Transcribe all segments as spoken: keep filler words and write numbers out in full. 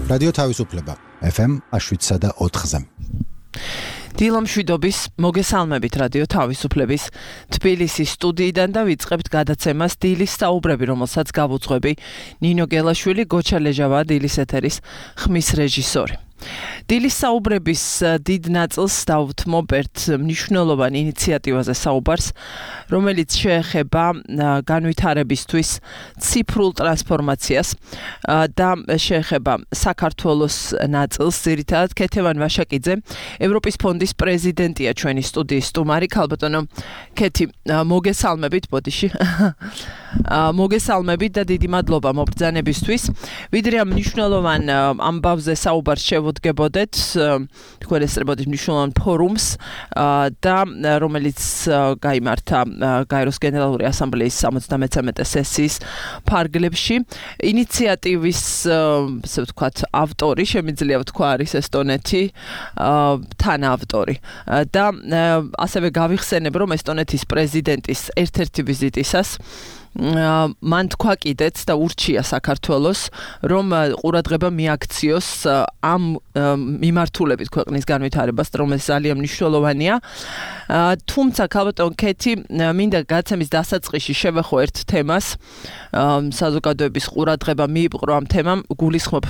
რადიო თავისუფლება ეფ ემ შვიდსა და ოთხზე. დილამშვიდობის მოგესალმებით რადიო თავისუფლების თბილისის სტუდიიდან და ვიწყებთ გადაცემას დილის საუბრები, რომელსაც გავუძღვები ნინო გელაშვილი, გოჩა ლეჟავა, დილის ეთერის ხმის რეჟისორი. დილის საუბრების დიდ ნაწილს დავუთმობ ერთ მნიშვნელოვან ინიციატივაზე საუბარს, რომელიც შეეხება განვითარებისთვის ციფრულ ტრანსფორმაციას და შეეხება საქართველოს ნაწილს. ძირითადად ქეთევან ვაშაკიძე, ევროპის ფონდის პრეზიდენტია ჩვენი სტუდიის სტუმარი. ქალბატონო ქეთი, მოგესალმებით ბოდიში. მოგესალმებით და დიდი მადლობა მობრძანებისთვის. ვიდრე ამ მნიშვნელოვან ამბავზე საუბარს შევუდგებოდეთ, თქვენ ესწრებოდით მნიშვნელოვან ფორუმს და რომელიც გაიმართა გაეროს გენერალური ასამბლეის სამოცდამეცამეტე სესიის ფარგლებში. ინიციატივის, ასე ვთქვათ, ავტორი, შემიძლია ვთქვა, არის ესტონეთი, თანაავტორი. და ასევე გავიხსენებ, რომ ესტონეთის პრეზიდენტის ერთ-ერთი ვიზიტისას მან თქვა კიდეც და ურჩია საქართველოს, რომ ყურადღება მიაქციოს ამ მიმართულებით ქვეყნის განვითარებას, რომელიც ძალიან მნიშვნელოვანია. თუმცა ქალბატონ ქეთი, მინდა გადაცემის დასაწყისში შევეხო ერთ თემას, საზოგადოების ყურადღება მიიპყრო ამ თემამ, გულისხმობ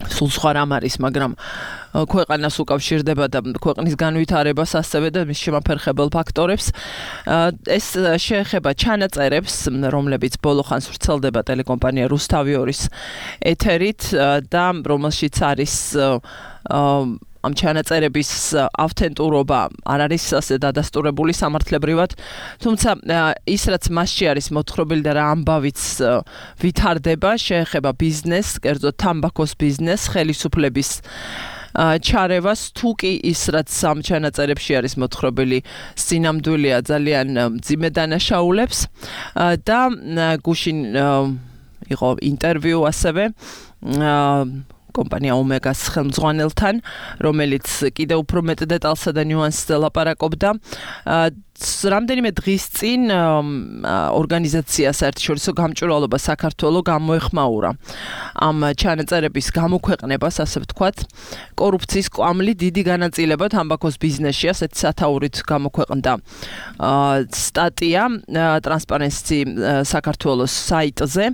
სულ სხვა რამ არის, მაგრამ ქვეყანას უკავშირდება და ქვეყნის განვითარებას ასევე და მის შემაფერხებელ ფაქტორებს. ეს შეეხება ჩანაწერებს, რომლებიც ბოლო ხანს ვრცელდება ტელეკომპანია რუსთავიორის ეთერით და რომელშიც არის ამ ჩანაწერების ავთენტურობა არ არის ასე დადასტურებული სამართლებრივად, თუმცა ის რაც მასში არის მოთხრობილი და რა ამბავიც ვითარდება, შეეხება ბიზნესს, კერძოდ თამბაქოს ბიზნესს, ხელისუფლების ჩარევას, თუ კი ის რაც ამ ჩანაწერებში არის მოთხრობილი სინამდვილეა, ძალიან მძიმე დანაშაულებს და გუშინ იყო ინტერვიუ ასევე კომპანია ომეგას ხელმძღვანელთან, რომელიც კიდევ უფრო მეტ დეტალსა და ნიუანსზე ლაპარაკობდა. რამდენიმე დღის წინ ორგანიზაცია საერთაშორისო გამჭვირვალობა საქართველოს გამოეხმაურა ამ ჩანაწერების გამოქვეყნებას, ასე ვთქვათ, კორუფციის კვამლი დიდი განაწილება თამბაქოს ბიზნესში, ასეთი სათაურით გამოქვეყნდა სტატია ტრანსპარენსი საქართველოს საიტზე,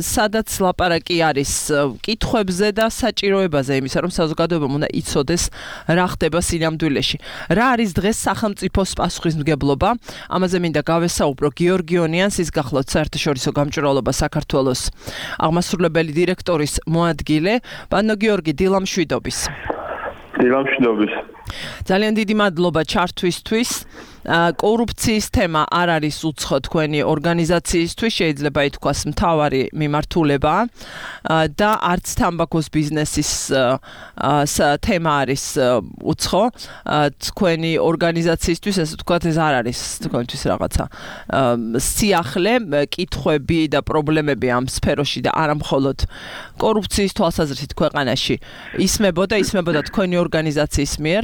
სადაც ლაპარაკი არის კითხვებზე და საჭიროებაზე იმისა, რომ საზოგადოებამ უნდა იცოდეს რა ხდება სინამდვილეში. რა არის დღეს სახელმწიფოს პასუხისმგებლობა? ამაზე მინდა გავესაუბრო გიორგი ონიანს, ის გახლავთ საერთაშორისო გამჭვირვალობა საქართველოს აღმასრულებელი დირექტორის მოადგილე. ბანო გიორგი, დილამშვიდობის. დილამშვიდობის. ძალიან დიდი მადლობა ჩართვისთვის. კორუფციის თემა არ არის უცხო თქვენი ორგანიზაციისთვის, შეიძლება ითქვას მთავარი მიმართულება და არც თამბაქოს ბიზნესის თემა არის უცხო თქვენი ორგანიზაციისთვის, ასე ვთქვათ, ეს არ არის თქვენთვის რაღაცა სიახლე, კითხვები და პრობლემები ამ სფეროში და არა მხოლოდ კორუფციის თვალსაზრისით ქვეყანაში ისმებოდა, ისმებოდა თქვენი ორგანიზაციის მიერ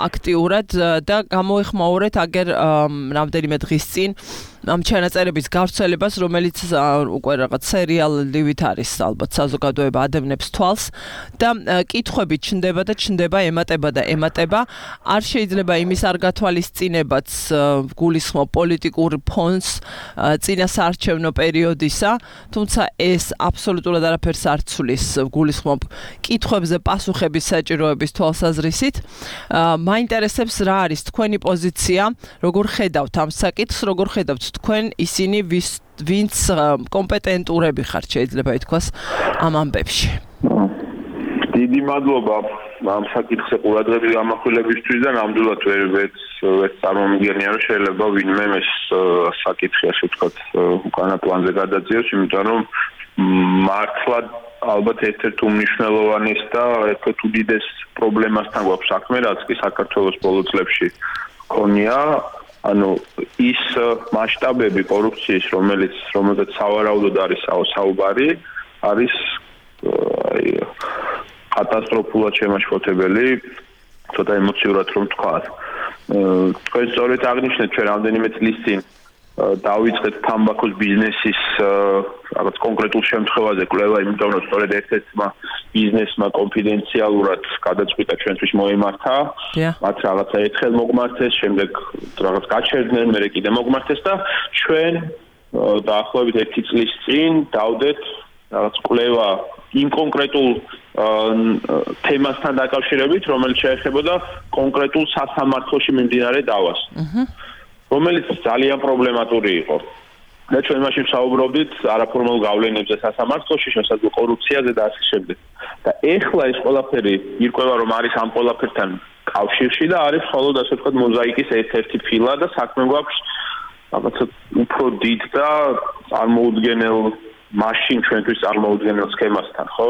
აქტიურად და გამოეხმაურეთ აგერ რამდენიმე დღის წინ ამ ჩანაწერების გავრცელებას, რომელიც უკვე რაღაც სერიალივით არის, ალბათ საზოგადოება ადევნებს თვალს და კითხვები ჩნდება და ჩნდება, ემატება და ემატება. არ შეიძლება იმის არ გათვალისწინებაც გულისხმობ პოლიტიკურ ფონს წინა საარჩევნო პერიოდისა, თუმცა ეს აბსოლუტურად არაფერს არ ცვლის გულისხმობ კითხვებზე პასუხების საჭიროების თვალსაზრისით. მაინტერესებს რა არის თქვენი პოზიცია, როგორ ხედავთ ამ საკითხს, როგორ ხედავთ თქვენ ისინი ვინც კომპეტენტურები ხართ, შეიძლება ითქვას ამ ამბებში. დიდი მადლობა ამ საკითხზე ყურადღების გამახვილებისთვის და ნამდვილად ვერ ვერ წარმომიდგენია, რომ შეიძლება ვინმე ეს საკითხი, ასე ვთქვათ, უკანა პლანზე გადაძიოს, იმიტომ რომ მართლა ალბათ ერთ-ერთ უმნიშვნელოვანეს და ერთ-ერთ უდიდეს პრობლემასთან გვაქვს საქმე, რაც კი საქართველოს ბოლო წლებში ქონია. ანუ ის მასშტაბები კორუფციის, რომელიც რომელზეც სავარაუდოდ არის საუბარი, არის კატასტროფულად შემაშფოთებელი, ცოტა ემოციურად რომ ვთქვა. თქვენ სწორედ აღნიშნეთ, ჩვენ რამდენიმე წლის წინ დავიწყეთ თამბაქოს ბიზნესის რაღაც კონკრეტულ შემთხვევაზე კვლევა, იმიტომ რომ სწორედ ერთ-ერთმა ბიზნესმა კონფიდენციალურად გადაწყვიტა ჩვენთვის მოემართა. მათ რაღაცა ერთხელ მოგმართეს, შემდეგ რაღაც გაჩერდნენ, მერე კიდე მოგმართეს და ჩვენ დაახლოებით ერთი წლის წინ დავდეთ რაღაც კვლევა იმ კონკრეტულ თემასთან დაკავშირებით, რომელიც შეეხებოდა კონკრეტულ სასამართლოში მიმდინარე დავას. რომელიც ძალიან პრობლემატური იყო. და ჩვენ მაშინ საუბრობდით არაფორმალ გავლენებზე სასამართლოში, შესაძლო კორუფციაზე და ასე შემდეგ. და ეხლა ეს ყველაფერი ირკვევა, რომ არის ამ ყველაფერთან კავშირში და არის მხოლოდ ასე ვთქვათ მოზაიკის ერთ-ერთი ფილა და საქმე გვაქვს რაღაცა უფრო დიდ და წარმოუდგენელ მაშინ ჩვენთვის წარმოუდგენელ სქემასთან, ხო?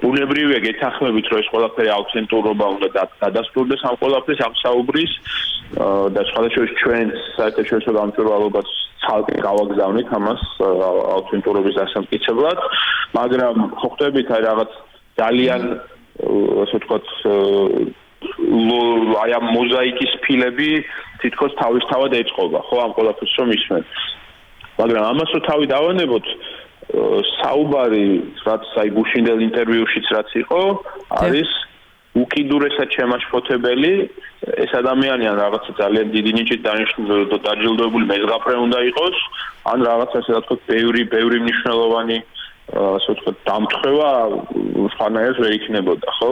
ბუნებრივია გეთანხმებით, რომ ეს ყველაფერი აუთენტურობა უნდა დადასტურდეს ამ ყველაფრის ამ საუბრის და სხვადასხვა ჩვენ საერთაშორისო დამწერლობას ცალკე გავაგზავნით ამას აუთენტურობის დასამტკიცებლად, მაგრამ ხო ხვდებით აი რაღაც ძალიან ასე ვთქვათ აი ამ მოზაიკის ფილები თითქოს თავისთავად ეწყობა, ხო, ამ ყველაფერს რომ ისმენ. მაგრამ ამას რო თავი დავანებოთ, საუბარი, რაც აი გუშინდელ ინტერვიუშიც რაც იყო, არის უკიდურესად შემაშფოთებელი, ეს ადამიანი ან რაღაცა ძალიან დიდი ნიჭით დაჯილდოებული მეზღაპრე უნდა იყოს, ან რაღაცა ასე ვთქვათ, ბევრი, ბევრი მნიშვნელოვანი ასე ვთქვათ, დამთხევა სხვანაირად ვერ იქნებოდა, ხო?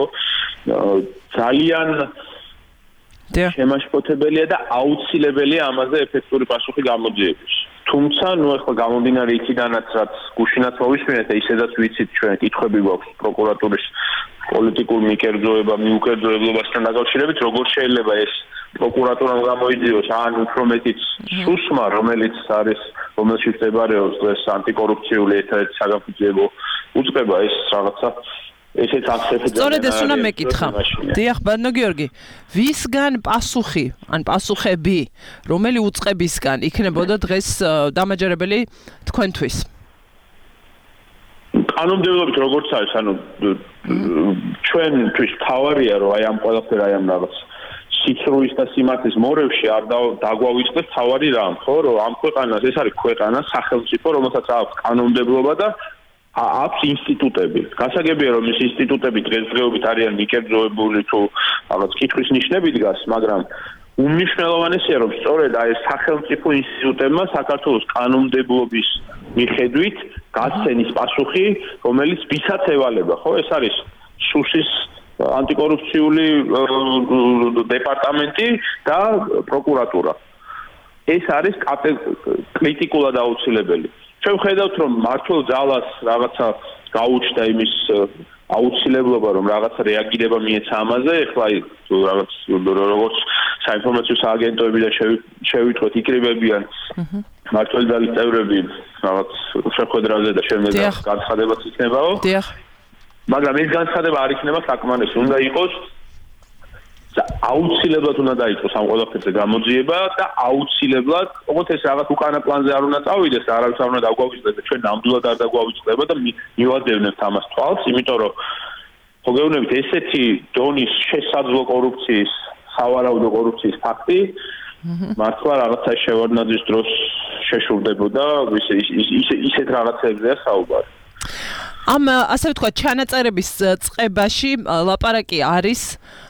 ძალიან შემაშფოთებელია და აუცილებელია ამაზე ეფექტური პასუხი გამოძიების. თუმცა, ნუ ახლა გამომდინარე იქიდანაც, რაც გუშინაც მოვისმინეთ და ისედაც ვიცით ჩვენ კითხვები გვაქვს პროკურატურის პოლიტიკურ მიკერძოება, მიუკერძოებლობასთან დაკავშირებით, როგორ შეიძლება ეს პროკურატურამ გამოიძიოს ან უფრო მეტიც სუსმა, რომელიც არის, რომელშიც მდებარეობს დღეს ანტიკორუფციული ერთადერთი საგამოძიებო უწყება, ეს რაღაცა ესეც აქცენტი. სწორედ ეს უნდა მეკითხა. დიახ, ბატონო გიორგი, ვისგან პასუხი, ან პასუხები, რომელი უწყებისგან იქნებოდა დღეს დამაჯერებელი თქვენთვის? კანონმდებლობით როგორც არის, ანუ ჩვენთვის თავარია, რომ აი ამ ყველაფერ აი ამ რაღაც სიცრუის და სიმართლის მორევში არ დაგვავიწყდეს თავარი რამ, ხო, რომ ამ ქვეყანას ეს არის ქვეყანა, სახელმწიფო, რომელსაც აქვს კანონმდებლობა და აქვს ინსტიტუტები. გასაგებია, რომ ეს ინსტიტუტები დღესდღეობით არიან მიკერძოებული თუ რაღაც კითხვის ნიშნები დგას, მაგრამ უმნიშვნელოვანესია, რომ სწორედ აი სახელმწიფო ინსტიტუტებმა საქართველოს კანონმდებლობის მიხედვით გასცენის პასუხი, რომელიც ვისაც ევალება, ხო? ეს არის სუსის ანტიკორუფციული დეპარტამენტი და პროკურატურა. ეს არის კრიტიკულად აუცილებელი. ჩვენ ვხედავთ, რომ მართლ ძალას რაღაცა გაუჩნდა იმის აუცილებლობა, რომ რაღაცა რეაგირება მიეცა ამაზე, ეხლა რაღაც როგორც საინფორმაციო სააგენტოები და შევითვლოთ იკრიბებიან მართლ ძალის წევრები რაღაც შეხვედრაზე და შემდეგ განცხადებაც იქნებაო. დიახ. მაგრამ ეს განცხადება არ იქნება საკმარისი, უნდა იყოს აუცილებლად უნდა დაიწყოს ამ ყველაფერზე გამოძიება და აუცილებლად, ოღონდ ეს რაღაც უკანა პლანზე არ უნდა წავიდეს და არავის არ უნდა დაგვავიწყდეს და ჩვენ ნამდვილად არ დაგვავიწყდება და მივადევნებთ ამას თვალს, იმიტომ რომ ხო გეუბნებით ესეთი დონის შესაძლო კორუფციის, სავარაუდო კორუფციის ფაქტი მართლა რაღაცა შევარდნაძის დროს შეშურდებოდა, ისეთ რაღაცებზეა საუბარი. ამ ასე ვთქვათ, ჩანაწერების წყებაში ლაპარაკი არის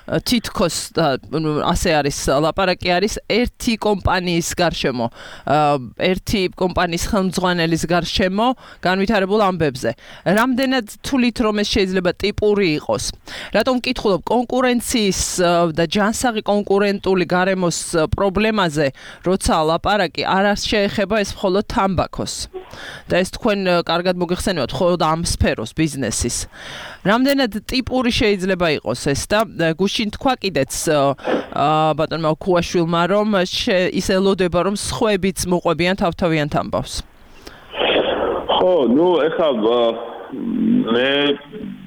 თითქოს ასე არის ლაპარაკი არის ერთი კომპანიის გარშემო, ერთი კომპანიის ხელმძღვანელის გარშემო განვითარებულ ამბებზე. რამდენად თვლით, რომ ეს შეიძლება ტიპური იყოს? რატომ ვკითხულობ კონკურენციის და ჯანსაღი კონკურენტული გარემოს პრობლემაზე, როცა ლაპარაკი არ შეეხება ეს მხოლოდ თამბაქოს. და ეს თქვენ კარგად მოგეხსენებათ მხოლოდ ამ სფეროს ბიზნესის. რამდენად ტიპური შეიძლება იყოს ეს და გუშინ თქვა კიდეც ბატონმა ქუაშვილმა, რომ ის ელოდება, რომ სხვებიც მოყვებიან თავთავიანთ ამბავს. ხო, ნუ ეხლა მე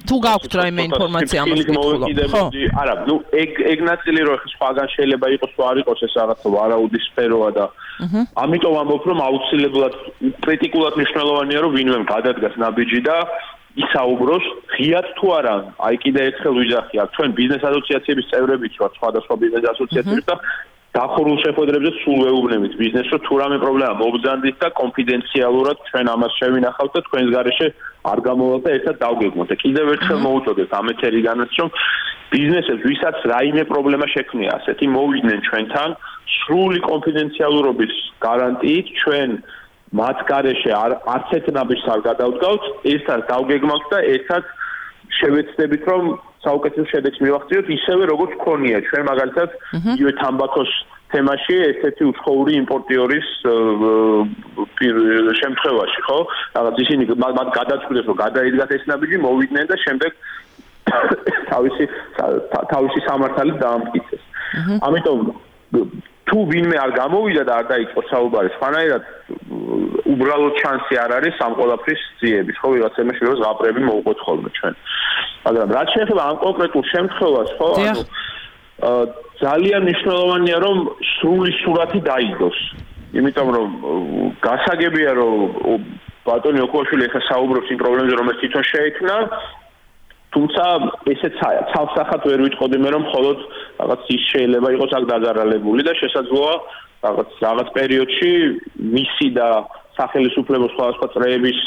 თუ გაქვთ რაიმე ინფორმაცია ამას კითხულობ, ხო? არა, ნუ ეგ ეგ ნაწილი რო ეხლა სხვაგან შეიძლება იყოს, თუ არ იყოს ეს რაღაცა ვარაუდის სფეროა და ამიტომ ამბობ, რომ აუცილებლად კრიტიკულად მნიშვნელოვანია, რომ ვინმე გადადგას ნაბიჯი და ისაუბროს ღიად თუ არა. აი კიდე ერთხელ ვიძახი, აქ ჩვენ ბიზნეს ასოციაციების წევრებიც ვართ, სხვადასხვა ბიზნეს ასოციაციების და დახურულ შეხვედრებზე სულ ვეუბნებით ბიზნესს, რომ თუ რამე პრობლემა მოგზანდით და კონფიდენციალურად ჩვენ ამას შევინახავთ და თქვენს გარეშე არ გამოვალთ და ერთად დავგეგმოთ. და კიდევ ერთხელ მოვუწოდეთ ამ ეთერიგანაც, რომ ბიზნესებს, ვისაც რაიმე პრობლემა შექმნია ასეთი, მოვიდნენ ჩვენთან სრული კონფიდენციალურობის გარანტიით, ჩვენ მათ გარეშე არც ერთ ნაბიჯს არ გადავდგავთ, ერთად დავგეგმავთ და ერთად შევეცდებით, რომ საუკეთესო შედეგს მივახციოთ, ისევე როგორც გქონია ჩვენ მაგალითად იგივე თამბაქოს თემაში ერთ-ერთი უცხოური იმპორტიორის შემთხვევაში, ხო? რაღაც ისინი მათ გადაწყვიტეს, რომ გადაიდგათ ეს ნაბიჯი, მოვიდნენ და შემდეგ თავისი თავისი სამართალით დაამტკიცეს. ამიტომ თუ ვინმე არ გამოვიდა და არ დაიწყო საუბარი, სხვანაირად უბრალოდ შანსი არ არის ამ ყველაფრის ძიების, ხო, ვიღაც იმაში რომ ზღაპრები მოვუყოთ ხოლმე ჩვენ. მაგრამ რაც შეეხება ამ კონკრეტულ შემთხვევას, ხო, ანუ ძალიან მნიშვნელოვანია რომ სრული სურათი დაიდოს. იმიტომ რომ გასაგებია რომ ბატონი ოქუაშვილი ახლა საუბრობს იმ პრობლემებზე, რომელიც თვითონ შეექმნა, თუმცა ესეც ცალსახად ვერ ვიტყოდი მე რომ მხოლოდ რაღაც ის შეიძლება იყოს აქ დაზარალებული და შესაძლოა რაღაც რაღაც პერიოდში მისი და სახელმწიფო სხვადასხვა წრეების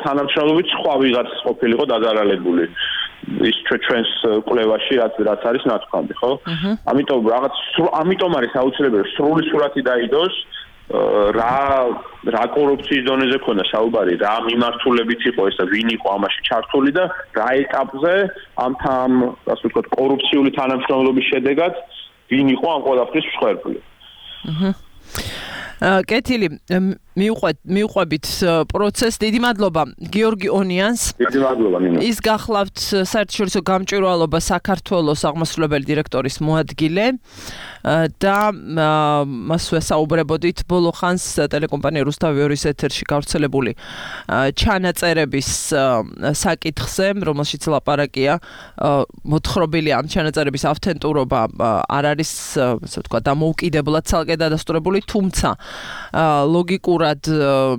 თანამშრომლობით სხვა ვიღაც ყოფილიყო დაზარალებული ის ჩვენს კვლევაში რაც რაც არის ნათქვამი, ხო? ამიტომ რაღაც ამიტომ არის აუცილებელი სრული სურათი დაიდოს რა რა კორუფციის დონეზე ქონდა საუბარი, რა მიმართულებით იყო ეს და ვინ იყო ამაში ჩართული და რა ეტაპზე ამ ამ ასე ვთქვათ კორუფციული თანამშრომლობის შედეგად ვინ იყო ამ ყველაფრის მსხვერპლი. აჰა. კეთილი, მიუყვეთ მიუყვებით პროცესს. დიდი მადლობა გიორგი ონიანს. დიდი მადლობა ნინო. ის გახლავთ საერთაშორისო გამჭვირვალობა საქართველოს აღმასრულებელი დირექტორის მოადგილე და მასვე საუბრებოდით ბოლო ხანს ტელეკომპანია რუსთავი ორის ეთერში გავრცელებული ჩანაწერების საკითხზე, რომელშიც ლაპარაკია მოთხრობილი ამ ჩანაწერების ავთენტურობა არ არის, ასე ვთქვათ, დამოუკიდებლად ცალკე დადასტურებული, თუმცა ლოგიკურად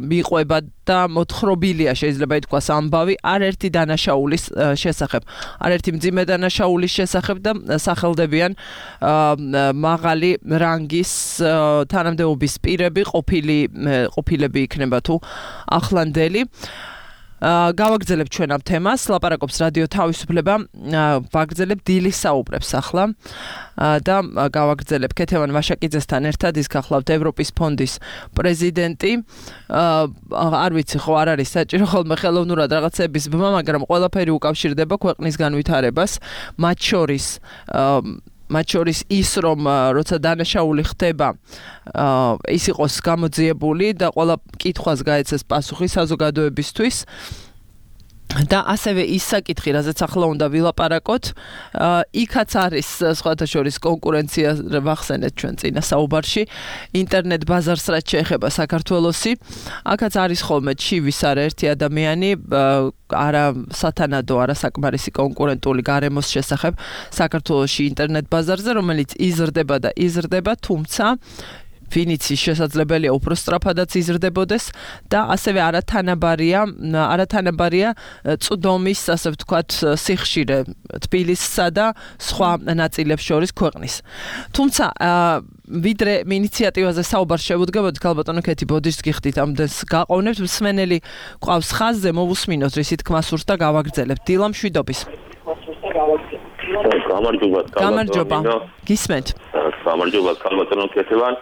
მიყვება და მოთხრობილია შეიძლება ითქვას ამბავი არერთი დანაშაულის შესახებ, არერთი მძიმე დანაშაულის შესახებ და სახელდებიან მაღალი რანგის თანამდებობის პირები, ყოფილი ყოფილები იქნება თუ ახლანდელი. გავაგრძელებ ჩვენ ამ თემას, ლაპარაკობს რადიო თავისუფლება, ვაგრძელებ დილის საუბრებს ახლა და გავაგრძელებ ქეთევან ვაშაკიძესთან ერთად, ის გახლავთ ევროპის ფონდის პრეზიდენტი. არ ვიცი, ხო არ არის საჭირო ხოლმე ხელოვნურად რაღაცების ბმა, მაგრამ ყველაფერი უკავშირდება ქვეყნის განვითარებას, მათ შორის მათ შორის ის რომ როცა დანაშაული ხდება ის იყოს გამოძიებული და ყველა კითხვას გაეცეს პასუხი საზოგადოებისთვის და ასევე ის საკითხი, რაზეც ახლა უნდა ვილაპარაკოთ, იქაც არის სხვათა შორის კონკურენცია, ვახსენეთ ჩვენ წინა საუბარში, ინტერნეტ ბაზარს რაც შეეხება საქართველოსი, აქაც არის ხოლმე ჩივის არაერთი ადამიანი, არა სათანადო, არა საკმარისი კონკურენტული გარემოს შესახებ საქართველოში ინტერნეტ ბაზარზე, რომელიც იზრდება და იზრდება, თუმცა ვინიც შესაძლებელია უფრო სწრაფადაც იზრდებოდეს და ასევე არათანაბარია, არათანაბარია წვდომის, ასე ვთქვათ, სიხშირე თბილისსა და სხვა ნაწილებს შორის ქვეყნის. თუმცა ვიდრე ინიციატივაზე საუბარს შევუდგებოდით, ქალბატონო ქეთი, ბოდიშს გიხდით ამდენს გაყოვნებთ, მსმენელი ყავს ხაზზე, მოვუსმინოთ რისი თქმა სურს და გავაგრძელებთ. დილა მშვიდობის. გამარჯობა. გამარჯობა. გისმენთ. გამარჯობა, ქალბატონო ქეთევან.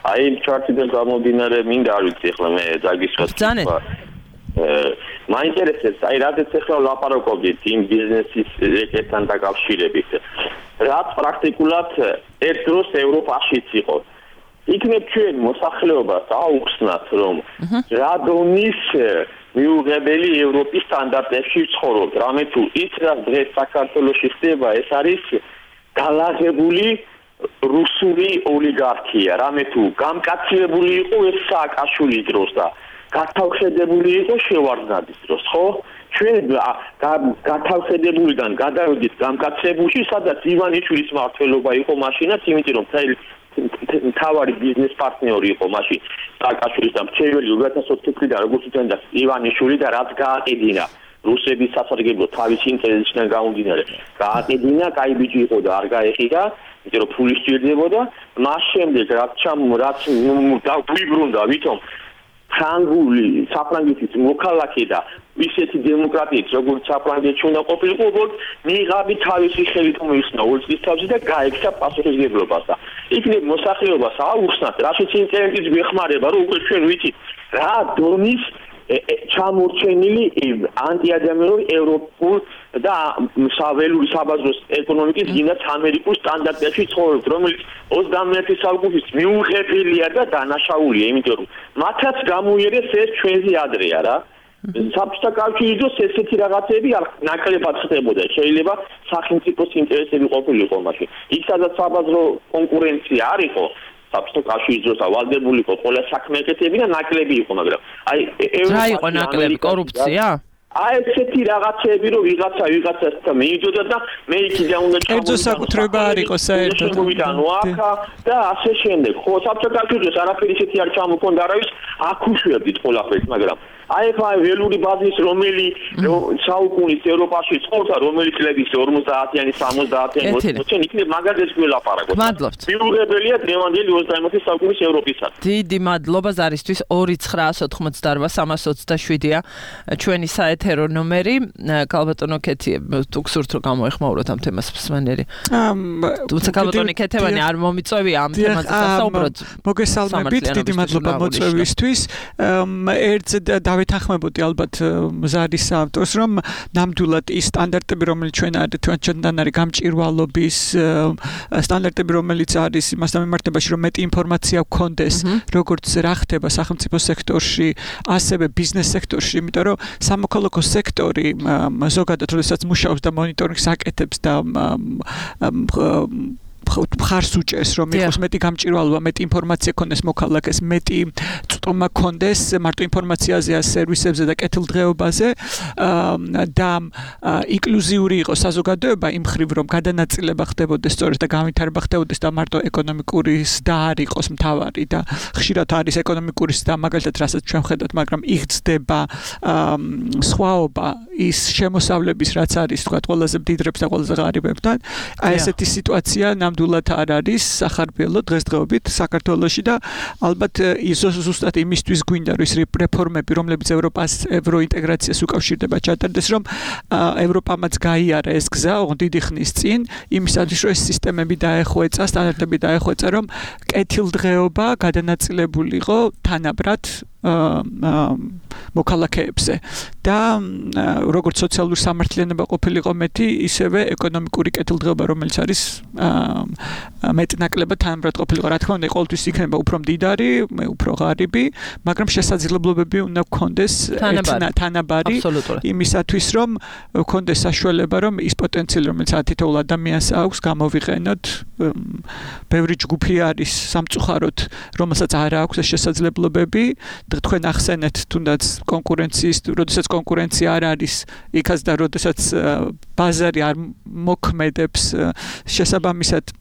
აი, ჩარტიდან გამომდინარე, მინდა არ ვიცი, ახლა მე დაგისვათ. ბრძანეთ. მაინტერესებს, აი, რადგან ახლა ლაპარაკობდით იმ ბიზნესის რეკეტთან დაკავშირებით. რაც პრაქტიკულად ერთ დროს ევროპაშიც იყო. იქნებ ჩვენ მოსახლეობას აუხსნათ, რომ რა დონის მიუღებელი ევროპის სტანდარტებში ცხოვრობთ. რამე თუ ის რაც დღეს საქართველოში ხდება, ეს არის გალაღებული რუსული ოლიგარქია. რამე თუ გამკაცებული იყო ეს სააკაშვილის დროს და გათავხედებული იყო შევარდნაძის დროს, ხო? ჩვენ გათავხედებულიდან გადავედით გამკაცებულში, სადაც ივანიშვილის მმართველობა იყო მაშინაც, იმიტომ რომ თავარი ბიზნეს პარტნიორი იყო მაშინ სააკაშვილის და მრჩეველი ორი ათას ოთხ წლიდან როგორც უწევდა ივანიშვილი და რაც გააყიდინა რუსების სასარგებლო თავის ინტერესიდან გამომდინარე გააყიდინა, კაი ბიჭი იყო და არ გაეხიდა იმიტომ რომ ფული სჭირდებოდა, მას შემდეგ რაც ჩამ რაც დაგვიბრუნდა, ვითომ ფრანგული საფრანგეთის მოქალაქე და ისეთი დემოკრატიით, როგორც საფრანგეთში უნდა ყოფილიყო, უბრალოდ მიიღავი თავისი ხელით მოიხსნა ორი წლის თავზე და გაექცა პასუხისმგებლობას და იქნებ მოსახლეობას აუხსნათ, რაშიც ინტერნეტის გვეხმარება, რომ უკვე ჩვენ ვიცით რა დონის ჩამორჩენილი ანტიადამიანური ევროპულ და საველური საბაზრო ეკონომიკის გინდათ ამერიკულ სტანდარტებში ცხოვრობთ, რომელიც ოცდამეერთე საუკუნის მიუღებელია და დანაშაულია, იმიტომ რომ მათაც გამოიერეს ეს ჩვენზე ადრეა რა. საბჭოთა კავშირის დროს ესეთი რაღაცები ნაკლებად ხდებოდა. შეიძლება სახელმწიფოს ინტერესები ყოფილიყო მაშინ. იქ სადაც საბაზრო კონკურენცია არ იყო, საბჭოთა კავშირის დროს ავალდებული იყო ყველა საქმე ეკეთებინა და ნაკლები იყო, მაგრამ აი რა იყო ნაკლები? კორუფცია? აი ესეთი რაღაცები რომ ვიღაცა ვიღაცასთან მიიდოდა და მე იქიდან უნდა ჩამოვიდა. კერძო საკუთრება არ იყო საერთოდ. და ასე შემდეგ. ხო, საბჭოთა კავშირის დროს არაფერი ისეთი არ ჩამოქონდა, არავის აქუშვებდით ყველაფერს, მაგრამ აი ხა ველური ბაზის რომელი საუკუნის ევროპაში ცხოვრდა, რომელი წლების ორმოცდაათიანი, სამოცდაათიანი, ოცდაათიანი იქნებ მაგაზეს გველაპარაკოთ. მადლობთ. მიუღებელია დღევანდელი ოცდაათი საუკუნის ევროპისად. დიდი მადლობა ზარისთვის ორი ცხრაას ოთხმოცდაარბა სამას ოცდაშვიდია ჩვენი საეთერო ნომერი. ქალბატონო ქეთი, თუ გსურთ რომ გამოეხმაუროთ ამ თემას მსმენელი. თუმცა ქალბატონი ქეთევანი არ მომიწევია ამ თემაზე სასაუბროთ. მოგესალმებით, დიდი მადლობა მოწვევისთვის. ერთ დავეთანხმებოდი ალბათ ზარის ავტორს, რომ ნამდვილად ის სტანდარტები, რომელიც ჩვენ ჩვენთან არის გამჭირვალობის სტანდარტები, რომელიც არის იმასთან მიმართებაში, რომ მეტი ინფორმაცია გქონდეს, როგორც რა ხდება სახელმწიფო სექტორში, ასევე ბიზნეს სექტორში, იმიტომ რომ სამოქალაქო სექტორი ზოგადად როდესაც მუშაობს და მონიტორინგს აკეთებს და მხარს უჭერს, რომ იყოს მეტი გამჭირვალობა, მეტი ინფორმაცია ქონდეს მოქალაქეს, მეტი წტომა ქონდეს მარტო ინფორმაციაზე, სერვისებზე და კეთილდღეობაზე და ინკლუზიური იყოს საზოგადოება იმ მხრივ, რომ გადანაწილება ხდებოდეს სწორედ და განვითარება ხდებოდეს და მარტო ეკონომიკურის და არ იყოს მთავარი და ხშირად არის ეკონომიკურის და მაგალითად რასაც ჩვენ ხედავთ, მაგრამ იღწდება სხვაობა ის შემოსავლების, რაც არის თქვა ყველაზე მდიდრებს და ყველაზე ღარიბებთან. აი ესეთი სიტუაცია ნამდვილად არ არის სახარბიელო დღესდღეობით საქართველოში და ალბათ ის ზუსტად იმისთვის გვინდა რომ ის რეფორმები, რომლებიც ევროპას ევროინტეგრაციას უკავშირდება, ჩატარდეს, რომ ევროპამაც გაიარა ეს გზა დიდი ხნის წინ, იმისათვის რომ ეს სისტემები დაეხვეწა, სტანდარტები დაეხვეწა, რომ კეთილდღეობა გადანაწილებულიყო თანაბრად მოქალაქეებზე და როგორც სოციალური სამართლიანობა ყოფილიყო მეტი, ისევე ეკონომიკური კეთილდღეობა, რომელიც არის მეტნაკლებად თანაბრად ყოფილიყო. რა თქმა უნდა, ყოველთვის იქნება უფრო მდიდარი, უფრო ღარიბი, მაგრამ შესაძლებლობები უნდა გქონდეს თანაბარი იმისათვის, რომ გქონდეს საშუალება, რომ ის პოტენციალი, რომელიც თითოეულ ადამიანს აქვს, გამოვიყენოთ. ბევრი ჯგუფი არის სამწუხაროდ, რომელსაც არ აქვს ეს შესაძლებლობები. თქვენ ახსენეთ თუნდაც კონკურენციის, როდესაც კონკურენცია არ არის, იქაც და როდესაც ბაზარი არ მოქმედებს შესაბამისად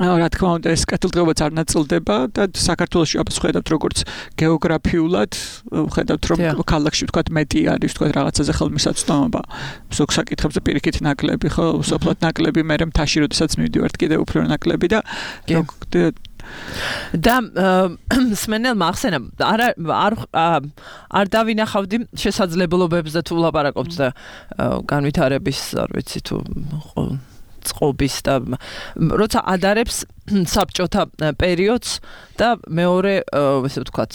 რა თქმა უნდა ეს კეთილდღეობაც არ ნაწილდება და საქართველოში აბა ხედავთ როგორც გეოგრაფიულად ხედავთ რომ ქალაქში ვთქვათ მეტი არის ვთქვათ რაღაცაზე ხელმისაწვდომობა ზოგ საკითხებზე პირიქით ნაკლები ხო უსოფლად ნაკლები მე მთაში როდესაც მივდივართ კიდევ უფრო ნაკლები და და სმენელმა ახსენა არ არ არ დავინახავდი შესაძლებლობებს და თუ ვლაპარაკობთ და განვითარების არ ვიცი თუ წყობის და როცა ადარებს საბჭოთა პერიოდს და მეორე ესე ვთქვათ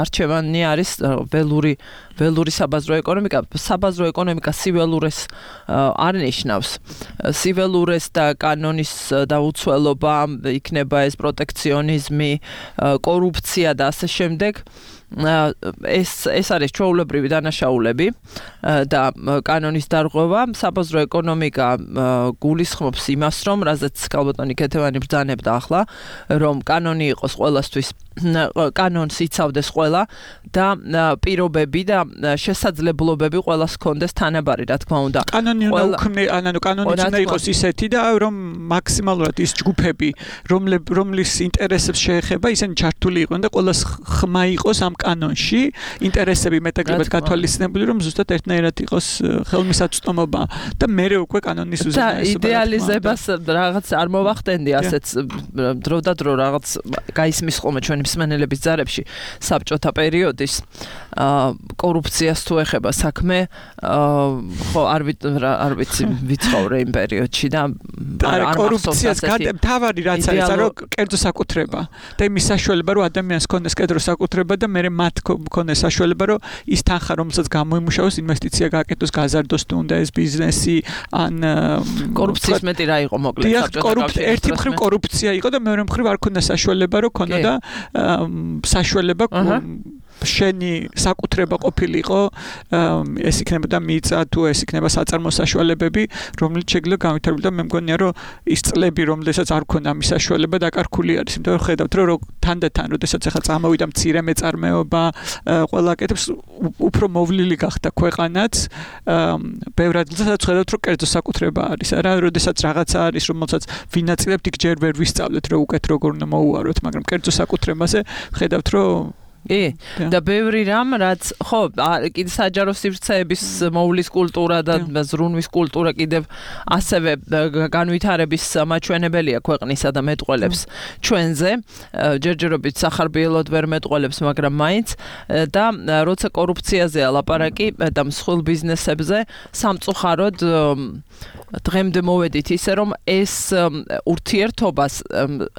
არჩევანი არის ველური ველური საბაზრო ეკონომიკა საბაზრო ეკონომიკა სიველურეს არ ნიშნავს სიველურეს და კანონის დაუცველობა იქნება ეს პროტექციონიზმი კორუფცია და ასე შემდეგ ეს ეს არის ჩვეულებრივი დანაშაულები და კანონის დარღვევა საბაზრო ეკონომიკა გულისხმობს იმას რომ რაზეც ქალბატონი ქეთევანი ბრძანებდა ახლა რომ კანონი იყოს ყველასთვის კანონს იცავდეს ყველა და პირობები და შესაძლებლობები ყველას ჰქონდეს თანაბარი რა თქმა უნდა კანონი უნდა უქმნე ანუ კანონიც უნდა იყოს ისეთი და რომ მაქსიმალურად ის ჯგუფები რომლის ინტერესებს შეეხება ისინი ჩართული იყვნენ და ყველას ხმა იყოს ამ კანონში ინტერესები მეტაკლებად გათვალისწინებული რომ ზუსტად ერთნაირად იყოს ხელმისაწვდომობა და მერე უკვე კანონის უზენაესობა. და იდეალიზებას რაღაც არ მოვახდენდი ასეც დრო და დრო რაღაც გაისმის ხოლმე ჩვენი მსმენელების ძარებში საბჭოთა პერიოდის კორუფციას თუ ეხება საქმე ხო არ არ ვიცი ვიცხოვრე იმ პერიოდში და არ კორუფციას თავარი რაც არის რომ კერძო საკუთრება და იმის საშუალება რომ ადამიანს ქონდეს კერძო საკუთრება და მე მათ ქონდეს საშუალება რომ ის თანხა რომელსაც გამოიმუშავოს ინვესტიცია გააკეთოს გაზარდოს თუ უნდა ეს ბიზნესი ან კორუფციის მეტი რა იყო მოკლედ საბჭოთა კავშირში ერთი მხრივ კორუფცია იყო და მეორე მხრივ არ ქონდა საშუალება რომ ქონოდა საშუალება შენი საკუთრება ყოფილიყო ეს იქნებოდა მიწა თუ ეს იქნება საწარმო საშუალებები რომელიც შეგვიძლია განვითარებული და მე მგონია რომ ის წლები რომელსაც არ ქონდა მის საშუალება დაკარგული არის იმიტომ რომ ხედავთ რომ თანდათან როდესაც ახლა წამოვიდა მცირე მეწარმეობა ყველა კეთებს უფრო მოვლილი გახდა ქვეყანაც ბევრ ადგილსაც ხედავთ რომ კერძო საკუთრება არის არა როდესაც რაღაცა არის რომელსაც ვინაწილებთ იქ ჯერ ვერ ვისწავლეთ რომ უკეთ როგორ უნდა მოუაროთ მაგრამ კერძო საკუთრებაზე ხედავთ რომ ე და ბევრი რამ რაც ხო კიდე საჯარო სივრცეების მოვლის კულტურა და ზრუნვის კულტურა კიდევ ასევე განვითარების მაჩვენებელია ქვეყნისა და მეტყველებს ჩვენზე ჯერჯერობით სახარბიელოდ ვერ მეტყველებს მაგრამ მაინც და როცა კორუფციაზეა ლაპარაკი და მსხვილ ბიზნესებზე სამწუხაროდ დღემდე მოვედით ისე რომ ეს ურთიერთობას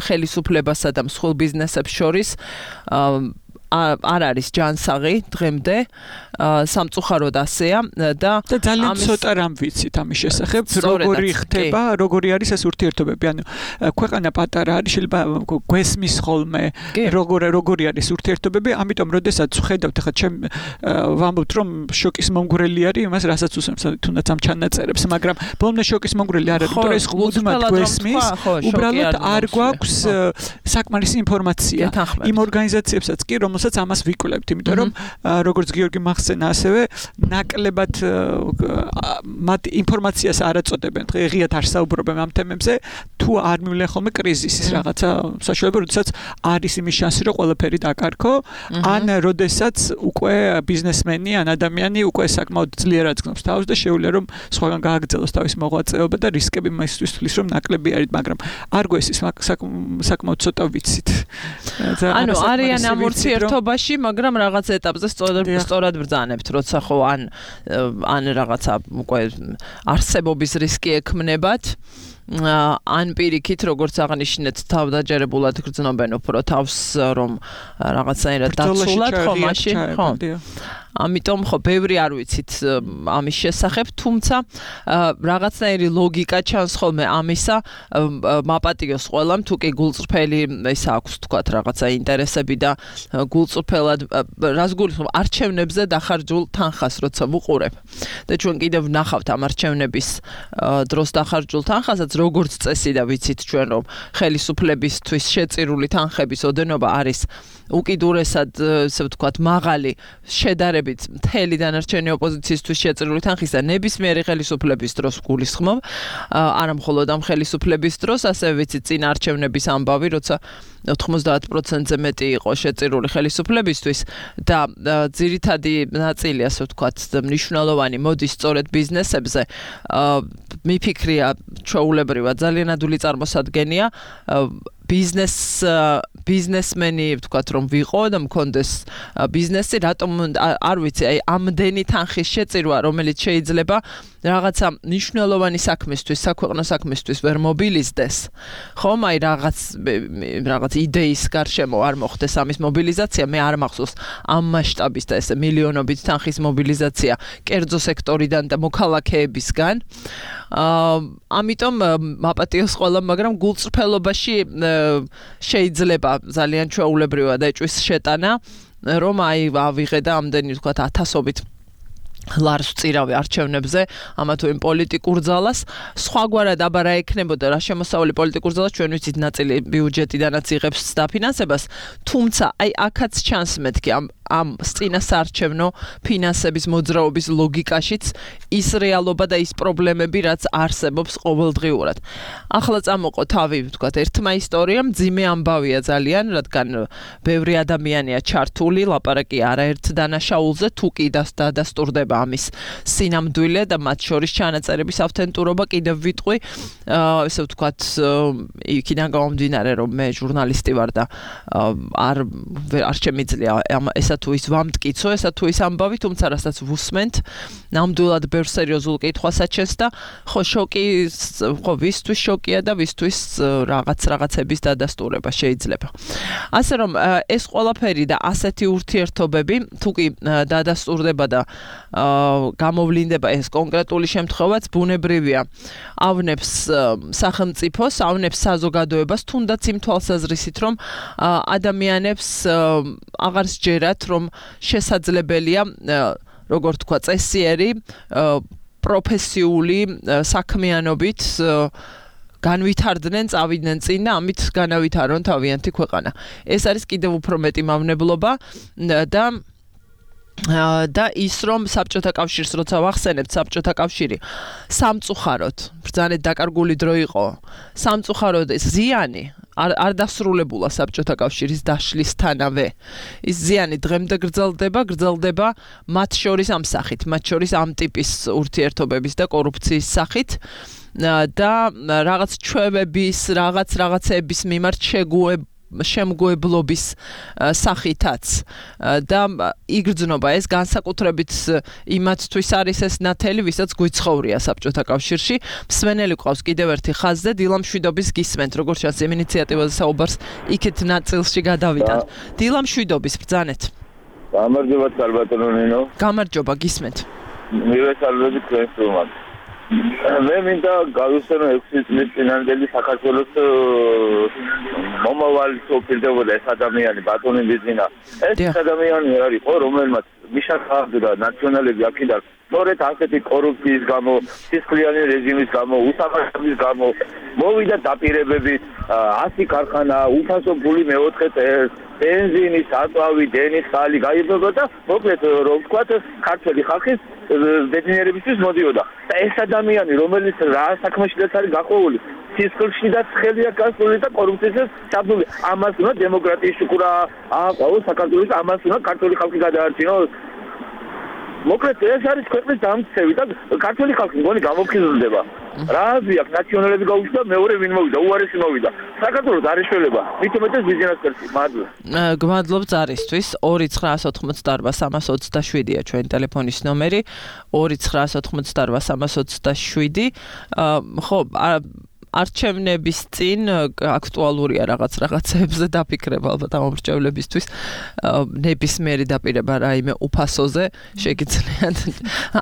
ხელისუფლებასა და მსხვილ ბიზნესებს შორის არ არის ჯანსაღი დღემდე სამწუხაროდ ასეა და ძალიან ცოტა რამ ვიცით ამის შესახებ როგორი ხდება როგორი არის ეს ურთიერთობები ანუ ქვეყანა პატარა არის შეიძლება გვესმის ხოლმე როგორი როგორი არის ურთიერთობები ამიტომ როდესაც ხედავთ ახლა ჩემ ვამბობთ რომ შოკის მომგვრელი არის იმას რასაც უსმენს თუნდაც ამ ჩანაწერებს მაგრამ ბოლომდე შოკის მომგვრელი არ არის იმიტომ ეს ხუდმად გვესმის უბრალოდ არ გვაქვს საკმარისი ინფორმაცია იმ ორგანიზაციებსაც კი რომელსაც ამას ვიკვლევთ იმიტომ რომ როგორც გიორგი მახსენა ასევე ნაკლებად მათ ინფორმაციას არ აწოდებენ ღიად არ საუბრობენ ამ თემებზე თუ არ მივლენ ხოლმე კრიზისის რაღაცა საშუალება როდესაც არის იმის შანსი რომ ყველაფერი დაკარგო ან როდესაც უკვე ბიზნესმენი ან ადამიანი უკვე საკმაოდ ძლიერად გზნობს თავს და შეუძლია რომ სხვაგან გააგრძელოს თავის მოღვაწეობა და რისკები მასთვის თulis რომ ნაკლები არის მაგრამ არ გვესის საკმაოდ ცოტა ვიცით ანუ არიან ამ ურთიერთობაში მაგრამ რაღაც ეტაპზე სწორად ბრძანებთ როცა ხო ან ან რაღაცა უკვე არსებობის რისკი ექმნებათ ან პირიქით როგორც აღნიშნეთ თავდაჯერებულად გრძნობენ უფრო თავს რომ რაღაცაირად დაცულად ხო მაშინ ხო ამიტომ ხო ბევრი არ ვიცით ამის შესახებ თუმცა რაღაცნაირი ლოგიკა ჩანს ხოლმე ამისა მაპატიოს ყველამ თუ კი გულწრფელი ეს აქვს თქვათ რაღაცა ინტერესები და გულწრფელად რას გულისხმობ არჩევნებზე დახარჯულ თანხას როცა ვუყურებ და ჩვენ კიდევ ვნახავთ ამ არჩევნების დროს დახარჯულ თანხასაც როგორც წესი და ვიცით ჩვენ რომ ხელისუფლებისთვის შეწირული თანხების ოდენობა არის უკიდურესად ესე ვთქვათ მაღალი შედარებით მთელი დანარჩენი ოპოზიციისთვის შეწირული თანხის და ნებისმიერი ხელისუფლების დროს გულისხმობ არა მხოლოდ ამ ხელისუფლების დროს ასევე ვიცით წინ არჩევნების ამბავი როცა ოთხმოცდაათ პროცენტზე მეტი იყო შეწირული ხელისუფლებისთვის და ძირითადი ნაწილი ასე ვთქვათ მნიშვნელოვანი მოდის სწორედ ბიზნესებზე მიფიქრია ჩვეულებრივად ძალიან ადვილი წარმოსადგენია ბიზნეს ბიზნესმენი ვთქვათ რომ ვიყო და მქონდეს ბიზნესი რატომ არ ვიცი აი ამდენი თანხის შეწირვა რომელიც შეიძლება რაღაცა მნიშვნელოვანი საქმისთვის საქვეყნო საქმისთვის ვერ მობილიზდეს ხომ აი რაღაც რაღაც იდეის გარშემო არ მოხდეს ამის მობილიზაცია მე არ მახსოვს ამ მასშტაბის და ესე მილიონობით თანხის მობილიზაცია კერძო სექტორიდან და მოქალაქეებისგან ამიტომ მაპატიოს ყველა მაგრამ გულწრფელობაში შეიძლება ძალიან ჩვეულებრივად ეჭვის შეტანა რომ აი ავიღე და ამდენი ვთქვათ ათასობით ლარს ვწირავე არჩევნებზე ამა თუ იმ პოლიტიკურ ძალას სხვაგვარად აბა რა ექნებოდა რა შემოსავალი პოლიტიკურ ძალას ჩვენ ვიცით ნაწილი ბიუჯეტიდანაც იღებს დაფინანსებას თუმცა აი აქაც ჩანს მეთქი ამ ამ წინასაარჩევნო ფინანსების მოძრაობის ლოგიკაშიც ის რეალობა და ის პრობლემები, რაც არსებობს ყოველდღიურად. ახლა წამოყო თავი, ვთქვათ, ერთმა ისტორიამ, ძიმე ამბავია ძალიან, რადგან ბევრი ადამიანია ჩართული, ლაპარაკი არაერთ დანაშაულზე, თუ კი დადასტურდება ამის სინამდვილე და მათ შორის ჩანაწერების ავთენტურობა, კიდევ ვიტყვი, ესე ვთქვათ, იქიდან გამომდინარე, რომ მე ჟურნალისტი ვარ და არ არ შემიძლია ესა თუ ის ვამტკიცო, ესა თუ ის ამბავი, თუმცა რასაც ვუსმენთ, ნამდვილად ბევრ სერიოზულ კითხვას აჩენს და ხო შოკი, ხო ვისთვის შოკია და ვისთვის რაღაც რაღაცების დადასტურება შეიძლება. ასე რომ ეს ყველაფერი და ასეთი ურთიერთობები, თუ კი დადასტურდება და გამოვლინდება ეს კონკრეტული შემთხვევაც, ბუნებრივია, ავნებს სახელმწიფოს, ავნებს საზოგადოებას, თუნდაც იმ თვალსაზრისით, რომ ადამიანებს აღარ სჯერათ, რომ შესაძლებელია, როგორ თქვა, წესიერი პროფესიული საქმიანობით განვითარდნენ, წავიდნენ წინ და ამით განავითარონ თავიანთი ქვეყანა. ეს არის კიდევ უფრო მეტი მავნებლობა და და ის რომ საბჭოთა კავშირს როცა ვახსენებთ, საბჭოთა კავშირი სამწუხაროდ ბრძანეთ დაკარგული დრო იყო. სამწუხაროდ ეს ზიანი არ არ დასრულებულა საბჭოთა კავშირის დაშლისთანავე. ის ზიანი დღემდე გრძელდება, გრძელდება მათ შორის ამ სახით, მათ შორის ამ ტიპის ურთიერთობების და კორუფციის სახით. და რაღაც ჩვევების, რაღაც რაღაცების მიმართ შეგუებ შემგუებლობის სახითაც და იგრძნობა ეს განსაკუთრებით იმათთვის არის ეს ნათელი, ვისაც გვიცხოვრია საბჭოთა კავშირში. მსმენელი ყავს კიდევ ერთი ხაზზე, დილა მშვიდობის გისმენთ, როგორც ჩანს იმ ინიციატივაზე საუბარს იქეთ ნაწილში გადავიტანთ. დილა მშვიდობის ბრძანეთ. გამარჯობა სალბატონო ნინო. გამარჯობა, გისმენთ. მივესალმები თქვენს რომად. მე მინდა გავიხსენო ექვსი წლის წინანდელი საქართველოს მომავალი სოფირდებოდა ეს ადამიანი ბატონი ბიზინა. ეს ადამიანი არის ხო, რომელმაც მიშახავდა ნაციონალები აქედან სწორედ ასეთი კორუფციის გამო, სისხლიანი რეჟიმის გამო, უსამართლობის გამო მოვიდა დაპირებები, ასი ქარხანა, უფასო ფული მეოთხე წელს, ბენზინი, საწვავი, დენის ხალი გაიბებოდა და მოკლედ რომ ვთქვათ, ქართველი ხალხის ბედნიერებისთვის მოდიოდა. და ეს ადამიანი, რომელიც რა საქმეშიც არის გაყოლული, სისხლში და ცხელია გასული და კორუფციისას ჩაბმული. ამას უნდა დემოკრატიის შუქურა ააყო საქართველოს, ამას უნდა ქართული ხალხი გადაარჩინოს. მოკლედ ეს არის ქვეყნის დამცევი და ქართული ხალხი მგონი გამოფხიზლდება. რა აზრი აქვს ნაციონალები გაუჩნდა, მეორე ვინ მოვიდა, უარესი მოვიდა. საქართველოს არ ეშველება. მით უმეტეს ბიზნეს კერტი. მადლობა. გმადლობ ზარისთვის. ორი ცხრაას ოთხმოცდაარბა სამას ოცდაშვიდია ჩვენი ტელეფონის ნომერი. ორი ცხრაას ოთხმოცდაარბა სამას ოცდაშვიდი. ხო, არჩევნების წინ აქტუალურია რაღაც რაღაცებზე დაფიქრება ალბათ ამომრჩევლებისთვის. ნებისმიერი დაპირება რაიმე უფასოზე შეგიძლიათ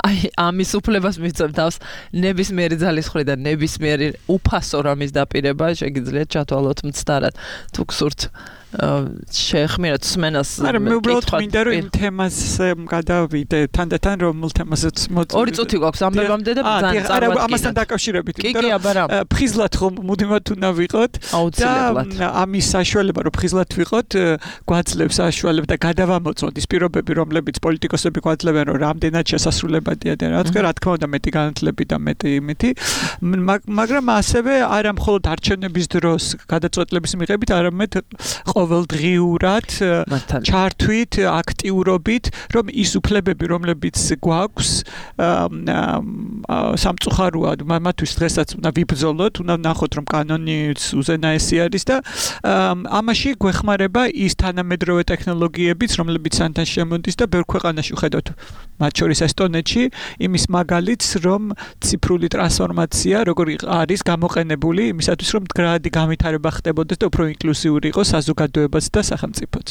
აი ამის უფლებას მიცემ თავს ნებისმიერი ძალის მხრიდან ნებისმიერი უფასო რამის დაპირება შეგიძლიათ ჩათვალოთ მცდარად თუ გსურთ შეეხმიეროთ სმენას. არა, მე უბრალოდ მინდა რომ იმ თემაზე გადავიდე, თანდათან რომელ თემაზეც მოწმე. ორი წუთი გვაქვს ამბებამდე და ძალიან წარმატებით. არა, ამასთან დაკავშირებით, იმიტომ რომ ფხიზლად ხომ მუდმივად უნდა ვიყოთ და ამის საშუალება რომ ფხიზლად ვიყოთ, გვაძლევს საშუალება და გადავამოწმოთ ის პირობები, რომლებიც პოლიტიკოსები გვაძლებენ, რომ რამდენად შესასრულებადია და რა თქმა რა თქმა უნდა მეტი განათლები და მეტი იმითი, მაგრამ ასევე არა მხოლოდ არჩევნების დროს გადაწყვეტილების მიღებით, არამედ ყოველდღიურად ჩართვით, აქტიურობით, რომ ის უფლებები, რომლებიც გვაქვს, სამწუხაროა, მათთვის დღესაც უნდა ვიბრძოლოთ, უნდა ვნახოთ, რომ კანონიც უზენაესი არის და ამაში გვეხმარება ის თანამედროვე ტექნოლოგიებიც, რომლებიც სანთან შემოდის და ბევრ ქვეყანაში ვხედავთ, მათ შორის ესტონეთში, იმის მაგალითს, რომ ციფრული ტრანსფორმაცია, როგორი არის გამოყენებული იმისათვის, რომ მდგრადი განვითარება ხდებოდეს და უფრო ინკლუზიური იყოს საზოგადოებაც და სახელმწიფოც.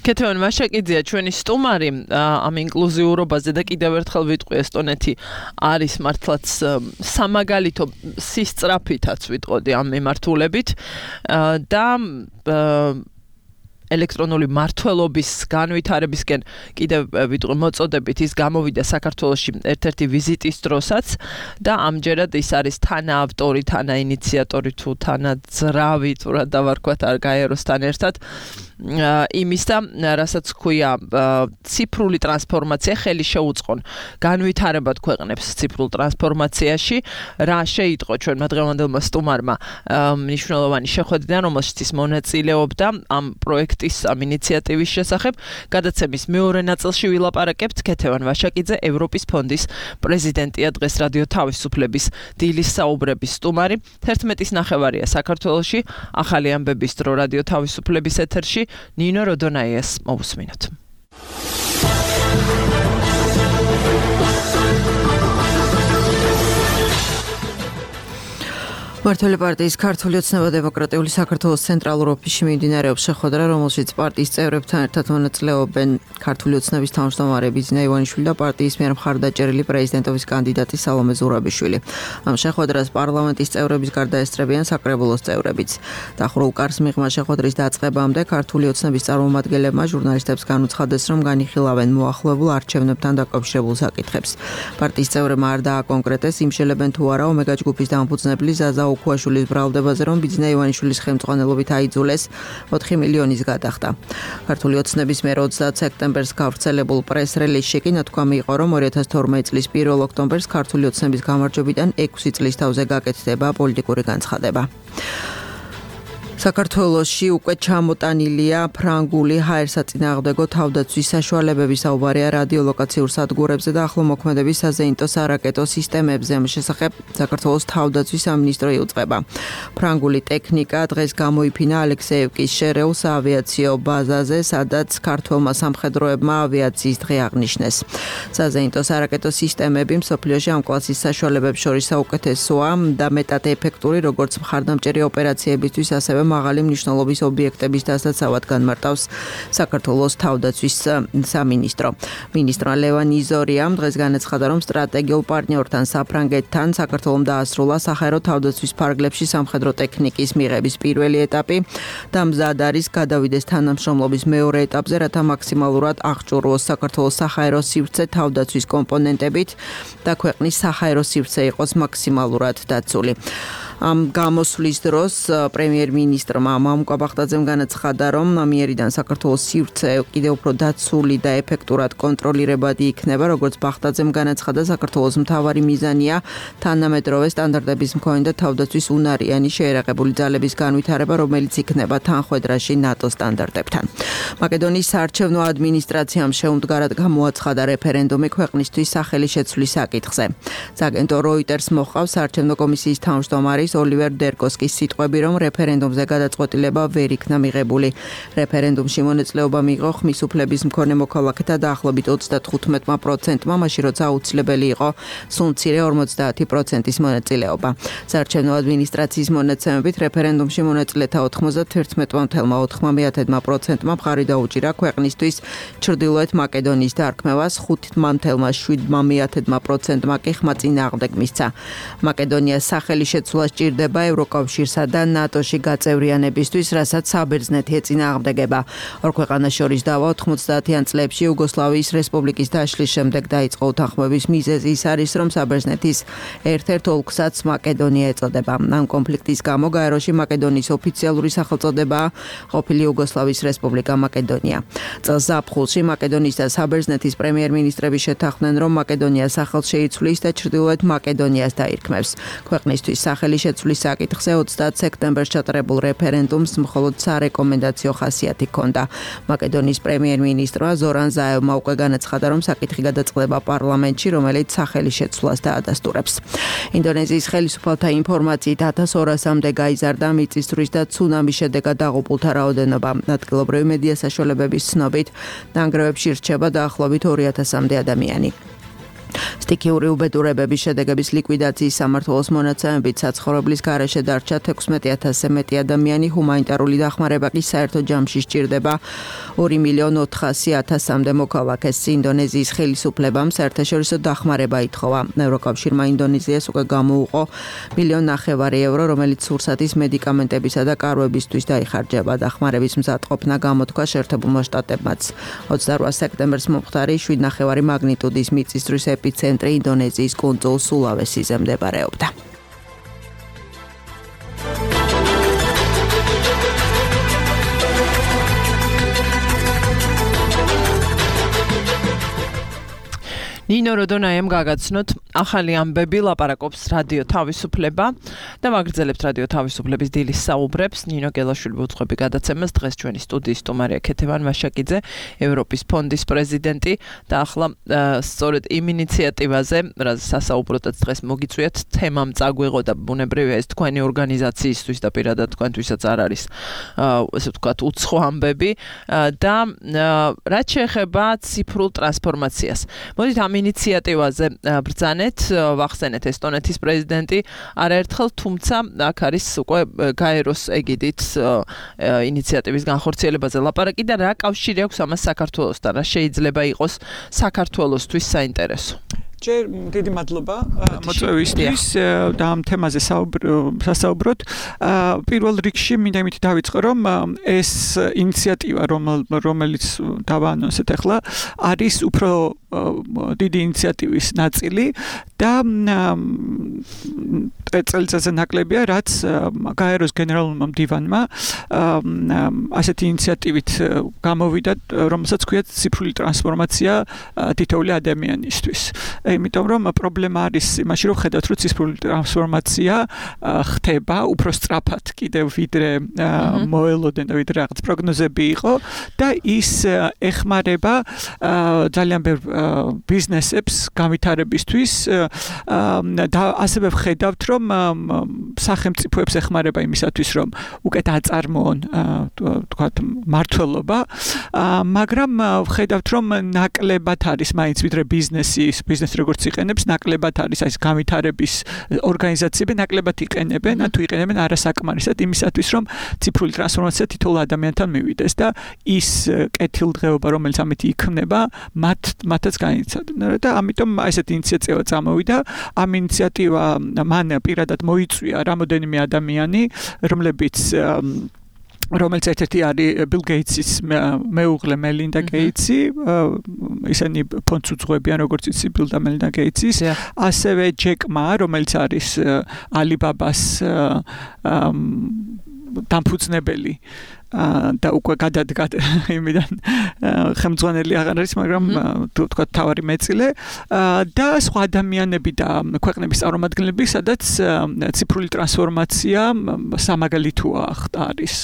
კეთილ მაშაკიძეა ჩვენი სტუმარი ამ ინკლუზიურობაზე და კიდევ ერთხელ ვიტყვი ესტონეთი არის მართლაც სამაგალითო სისწრაფითაც ვიტყოდი ამ მიმართულებით და ელექტრონული მართლობის განვითარებისკენ კიდევ ვიტყვი მოწოდებით ის გამოვიდა საქართველოში ერთ-ერთი ვიზიტის დროსაც და ამჯერად ის არის თანაავტორი, თანაინიციატორი თუ თანაძრავი, თუ რა დავარქვათ არ გაეროსთან ერთად იმის და რასაც ქვია ციფრული ტრანსფორმაცია ხელი შეუწყონ განვითარებად ქვეყნებს ციფრულ ტრანსფორმაციაში რა შეიტყო ჩვენმა დღევანდელმა სტუმარმა მნიშვნელოვანი შეხვედრიდან რომელშიც ის მონაწილეობდა ამ პროექტის ამ ინიციატივის შესახებ გადაცემის მეორე ნაწილში ვილაპარაკებთ ქეთევან ვაშაკიძე ევროპის ფონდის პრეზიდენტია დღეს რადიო თავისუფლების დილის საუბრების სტუმარი თერთმეტის ნახევარია საქართველოში ახალი ამბების დრო რადიო თავისუფლების ეთერში ნინო როდონაიას მოვუსმინოთ მართული პარტიის ქართული ოცნება დემოკრატიული საქართველოს ცენტრალურ ოფისში მიმდინარეობს შეხვედრა, რომელშიც პარტიის წევრებთან ერთად მონაწილეობენ ქართული ოცნების თავმჯდომარე ბიძინა ივანიშვილი და პარტიის მიერ მხარდაჭერილი პრეზიდენტობის კანდიდატი სალომე ზურაბიშვილი. ამ შეხვედრას პარლამენტის წევრების გარდა ესწრებიან საკრებულოს წევრებიც. დახურულ კარს მიღმა შეხვედრის დაწყებამდე ქართული ოცნების წარმომადგენლებმა ჟურნალისტებს განუცხადეს, რომ განიხილავენ მოახლოებულ არჩევნებთან დაკავშირებულ საკითხებს. პარტიის წევრებმა არ დააკონკრეტეს, იმშელებენ თუ არა ომეგა ჯგუფის დამფუძნებელი ზაზა უქვაშვილის ბრალდებაზე, რომ ბიძინა ივანიშვილის ხელმძღვანელობით აიძულეს ოთხი მილიონის გადახდა. ქართული ოცნების მიერ ოცდაათ სექტემბერს გავრცელებულ პრეს-რელიზში კი ნათქვამი იყო, რომ ორი ათას თორმეტი წლის პირველ ოქტომბერს ქართული ოცნების გამარჯვებიდან ექვსი წლის თავზე გაკეთდება პოლიტიკური განცხადება. საქართველოში უკვე ჩამოტანილია ფრანგული ჰაერსაწინააღმდეგო თავდაცვის საშუალებების საუბარია რადიოლოკაციურ სადგურებზე და ახლომოქმედების საზეინტო სარაკეტო სისტემებზე. ამ შესახებ საქართველოს თავდაცვის სამინისტრო იუწყება. ფრანგული ტექნიკა დღეს გამოიფინა ალექსეევკის შერეულ საავიაციო ბაზაზე, სადაც ქართველმა სამხედროებმა ავიაციის დღე აღნიშნეს. საზეინტო სარაკეტო სისტემები მსოფლიოში ამ კლასის საშუალებებს შორის საუკეთესოა და მეტად ეფექტური, როგორც მხარდამჭერი ოპერაციებისთვის, ასევე მაღალი მნიშვნელობის ობიექტების დასაცავად განმარტავს საქართველოს თავდაცვის სამინისტრო. მინისტრმა ლევან იზორიამ დღეს განაცხადა, რომ სტრატეგიულ პარტნიორთან საფრანგეთთან საქართველომ დაასრულა საჰაერო თავდაცვის ფარგლებში სამხედრო ტექნიკის მიღების პირველი ეტაპი და მზად არის გადავიდეს თანამშრომლობის მეორე ეტაპზე, რათა მაქსიმალურად აღჭურვოს საქართველოს საჰაერო სივრცე თავდაცვის კომპონენტებით და ქვეყნის საჰაერო სივრცე იყოს მაქსიმალურად დაცული. ამ გამოსვლის დროს პრემიერ-მინისტრმა მამუკა ბახტაძემ განაცხადა, რომ ამიერიდან საქართველოს სივრცე კიდევ უფრო დაცული და ეფექტურად კონტროლირებადი იქნება, როგორც ბახტაძემ განაცხადა, საქართველოს მთავარი მიზანია თანამედროვე სტანდარტების მქონე და თავდაცვის უნარიანი შეერაღებული ძალების განვითარება, რომელიც იქნება თანხვედრაში ნატო სტანდარტებთან. მაკედონიის საარჩევნო ადმინისტრაციამ შეუმდგარად გამოაცხადა რეფერენდუმი ქვეყნისთვის სახელი შეცვლის საკითხზე. აგენტო როიტერს მოჰყავს საარჩევნო კომისიის თავმჯდომარის ოლივერ დერკოსკის სიტყვები, რომ რეფერენდუმზე გადაწყვეტილება ვერ იქნა მიღებული. რეფერენდუმში მონაწილეობა მიიღო ხმის უფლების მქონე მოქალაქეთა დაახლოებით ოცდათხუთმეტი პროცენტმა, მაშინ როცა აუცილებელი იყო სულ მცირე ორმოცდაათი პროცენტის მონაწილეობა. საარჩევნო ადმინისტრაციის მონაცემებით რეფერენდუმში მონაწილეთა ოთხმოცდათერთმეტი virgulă ოთხი პროცენტმა მხარი დაუჭირა ქვეყნისთვის ჩრდილოეთ მაკედონიის დარქმევას, ხუთი virgulă შვიდ პროცენტმა კი ხმა წინააღმდეგ მისცა. მაკედონიას სახელი შეცვლა სჭირდება ევროკავშირსა და ნატოში გაწევრიანებისთვის, რასაც საბერძნეთი ეწინააღმდეგება. ორ ქვეყანას შორის დავა ოთხმოცდაათიან წლებში იუგოსლავიის რესპუბლიკის დაშლის შემდეგ დაიწყო უთანხმოების მიზეზი ის არის, რომ საბერძნეთის ერთ-ერთ ოლქსაც მაკედონია ეწოდება. ამ კონფლიქტის გამო გაეროში მაკედონიის ოფიციალური სახელწოდებაა ყოფილი იუგოსლავიის რესპუბლიკა მაკედონია. წელს ზაფხულში მაკედონიის და საბერძნეთის პრემიერ-მინისტრები შეთანხმდნენ, რომ მაკედონია სახელს შეიცვლის და ჩრდილოეთ მაკედონიას დაირქმევს. ქვეყნისთვის სახელი შეცვლის საკითხზე ოცდაათ სექტემბერს ჩატარებულ რეფერენდუმს მხოლოდ სარეკომენდაციო ხასიათი ჰქონდა. მაკედონიის პრემიერ-მინისტრმა ზორან ზაევმა უკვე განაცხადა, რომ საკითხი გადაწყდება პარლამენტში, რომელიც სახელი შეცვლას დაადასტურებს. ინდონეზიის ხელისუფალთა ინფორმაციით ათას ორასამდე გაიზარდა მიწისძვრის და ცუნამის შედეგად დაღუპულთა რაოდენობა. ადგილობრივი მედია საშუალებების ცნობით, ნანგრევებში რჩება დაახლოებით ორი ათასამდე ადამიანი. სტიქიური უბედურებების შედეგების ლიკვიდაციის სამმართველოს მონაცემებით საცხოვრებლის გარეშე დარჩა ექვსმეტი ათასზე მეტი ადამიანი, ჰუმანიტარული დახმარება კი საერთო ჯამში სჭირდება ორი მილიონი ოთხასი ათასამდე მოქალაქეს. ინდონეზიის ხელისუფლებამ საერთაშორისო დახმარება ითხოვა. ევროკავშირმა ინდონეზიას უკვე გამოუყო მილიონი ნახევარი ევრო, რომელიც სურსათის მედიკამენტებისა და კარვებისთვის დაიხარჯება. დახმარების მზადყოფნა გამოთქვა შეერთებულმა შტატებმაც. ოცდარვა სექტემბერს მომხდარი შვიდ ნახევარი მაგნიტუდის მიწისძვრის ეპიცენტრი ინდონეზიის კუნძულ სულავესიზე მდებარეობდა. ნინო როდონაიამ გაგაცნოთ ახალი ამბები ლაპარაკობს რადიო თავისუფლება და ვაგრძელებთ რადიო თავისუფლების დილის საუბრებს. ნინო გელაშვილი უძღვები გადაცემას დღეს ჩვენი სტუდიის სტუმარია ქეთევან ვაშაკიძე, ევროპის ფონდის პრეზიდენტი და ახლა სწორედ იმ ინიციატივაზე, რაც სასაუბროდაც დღეს მოგიწვიათ, თემამ წაგვიღო და ბუნებრივია ეს თქვენი ორგანიზაციისთვის და პირადად თქვენთვისაც არ არის ესე ვთქვათ უცხო ამბები და რაც შეეხება ციფრულ ტრანსფორმაციას. მოდით ამ ინიციატივაზე ბრძანეთ, ვახსენეთ ესტონეთის პრეზიდენტი არაერთხელ, თუმცა აქ არის უკვე გაეროს ეგიდით ინიციატივის განხორციელებაზე ლაპარაკი და რა კავშირი აქვს ამას საქართველოსთან, რა შეიძლება იყოს საქართველოსთვის საინტერესო. ჯერ დიდი მადლობა მოწვევისთვის და ამ თემაზე სასაუბროთ. პირველ რიგში მინდა იმით დავიწყო, რომ ეს ინიციატივა, რომელიც დავაანონსეთ ახლა, არის უფრო დიდი ინიციატივის ნაწილი და წელიწადზე ნაკლებია, რაც გაეროს გენერალურმა მდივანმა ასეთი ინიციატივით გამოვიდა, რომელსაც ქვია ციფრული ტრანსფორმაცია თითოეული ადამიანისთვის. იმიტომ რომ პრობლემა არის იმაში, რომ ხედავთ, რომ ციფრული ტრანსფორმაცია ხდება უფრო სწრაფად კიდევ ვიდრე მოელოდენ და ვიდრე რაღაც პროგნოზები იყო და ის ეხმარება ძალიან ბევრ ბიზნესებს განვითარებისთვის და ასევე ვხედავთ, რომ სახელმწიფოებს ეხმარება იმისათვის, რომ უკეთ აწარმოონ თქვათ მართლობა, მაგრამ ვხედავთ, რომ ნაკლებად არის მაინც ვიდრე ბიზნესის ბიზნესი როგორც იყენებს, ნაკლებად არის ეს განვითარების ორგანიზაციები, ნაკლებად იყენებენ, თუ იყენებენ არასაკმარისად იმისათვის, რომ ციფრული ტრანსფორმაცია თითოეულ ადამიანთან მივიდეს და ის კეთილდღეობა, რომელიც ამით იქმნება, მათ მათაც განიცადნენ და ამიტომ ესეთი ინიციატივა წამოვიდა. ამ ინიციატივა მან პირადად მოიწვია რამოდენიმე ადამიანი, რომლებიც რომელიც ერთ-ერთი არის ბილ გეიტსის მეუღლე მელინდა გეიტსი, ისინი ფონდს უძღვებიან, როგორც იცი ბილ და მელინდა გეიტსის, ასევე ჯეკ მა, რომელიც არის ალიბაბას დამფუძნებელი და უკვე გადადგა იმიდან ხელმძღვანელი აღარ არის, მაგრამ თუ თქვა თავარი მეწილე და სხვა ადამიანები და ქვეყნების წარმომადგენლები, სადაც ციფრული ტრანსფორმაცია სამაგალითოა არის.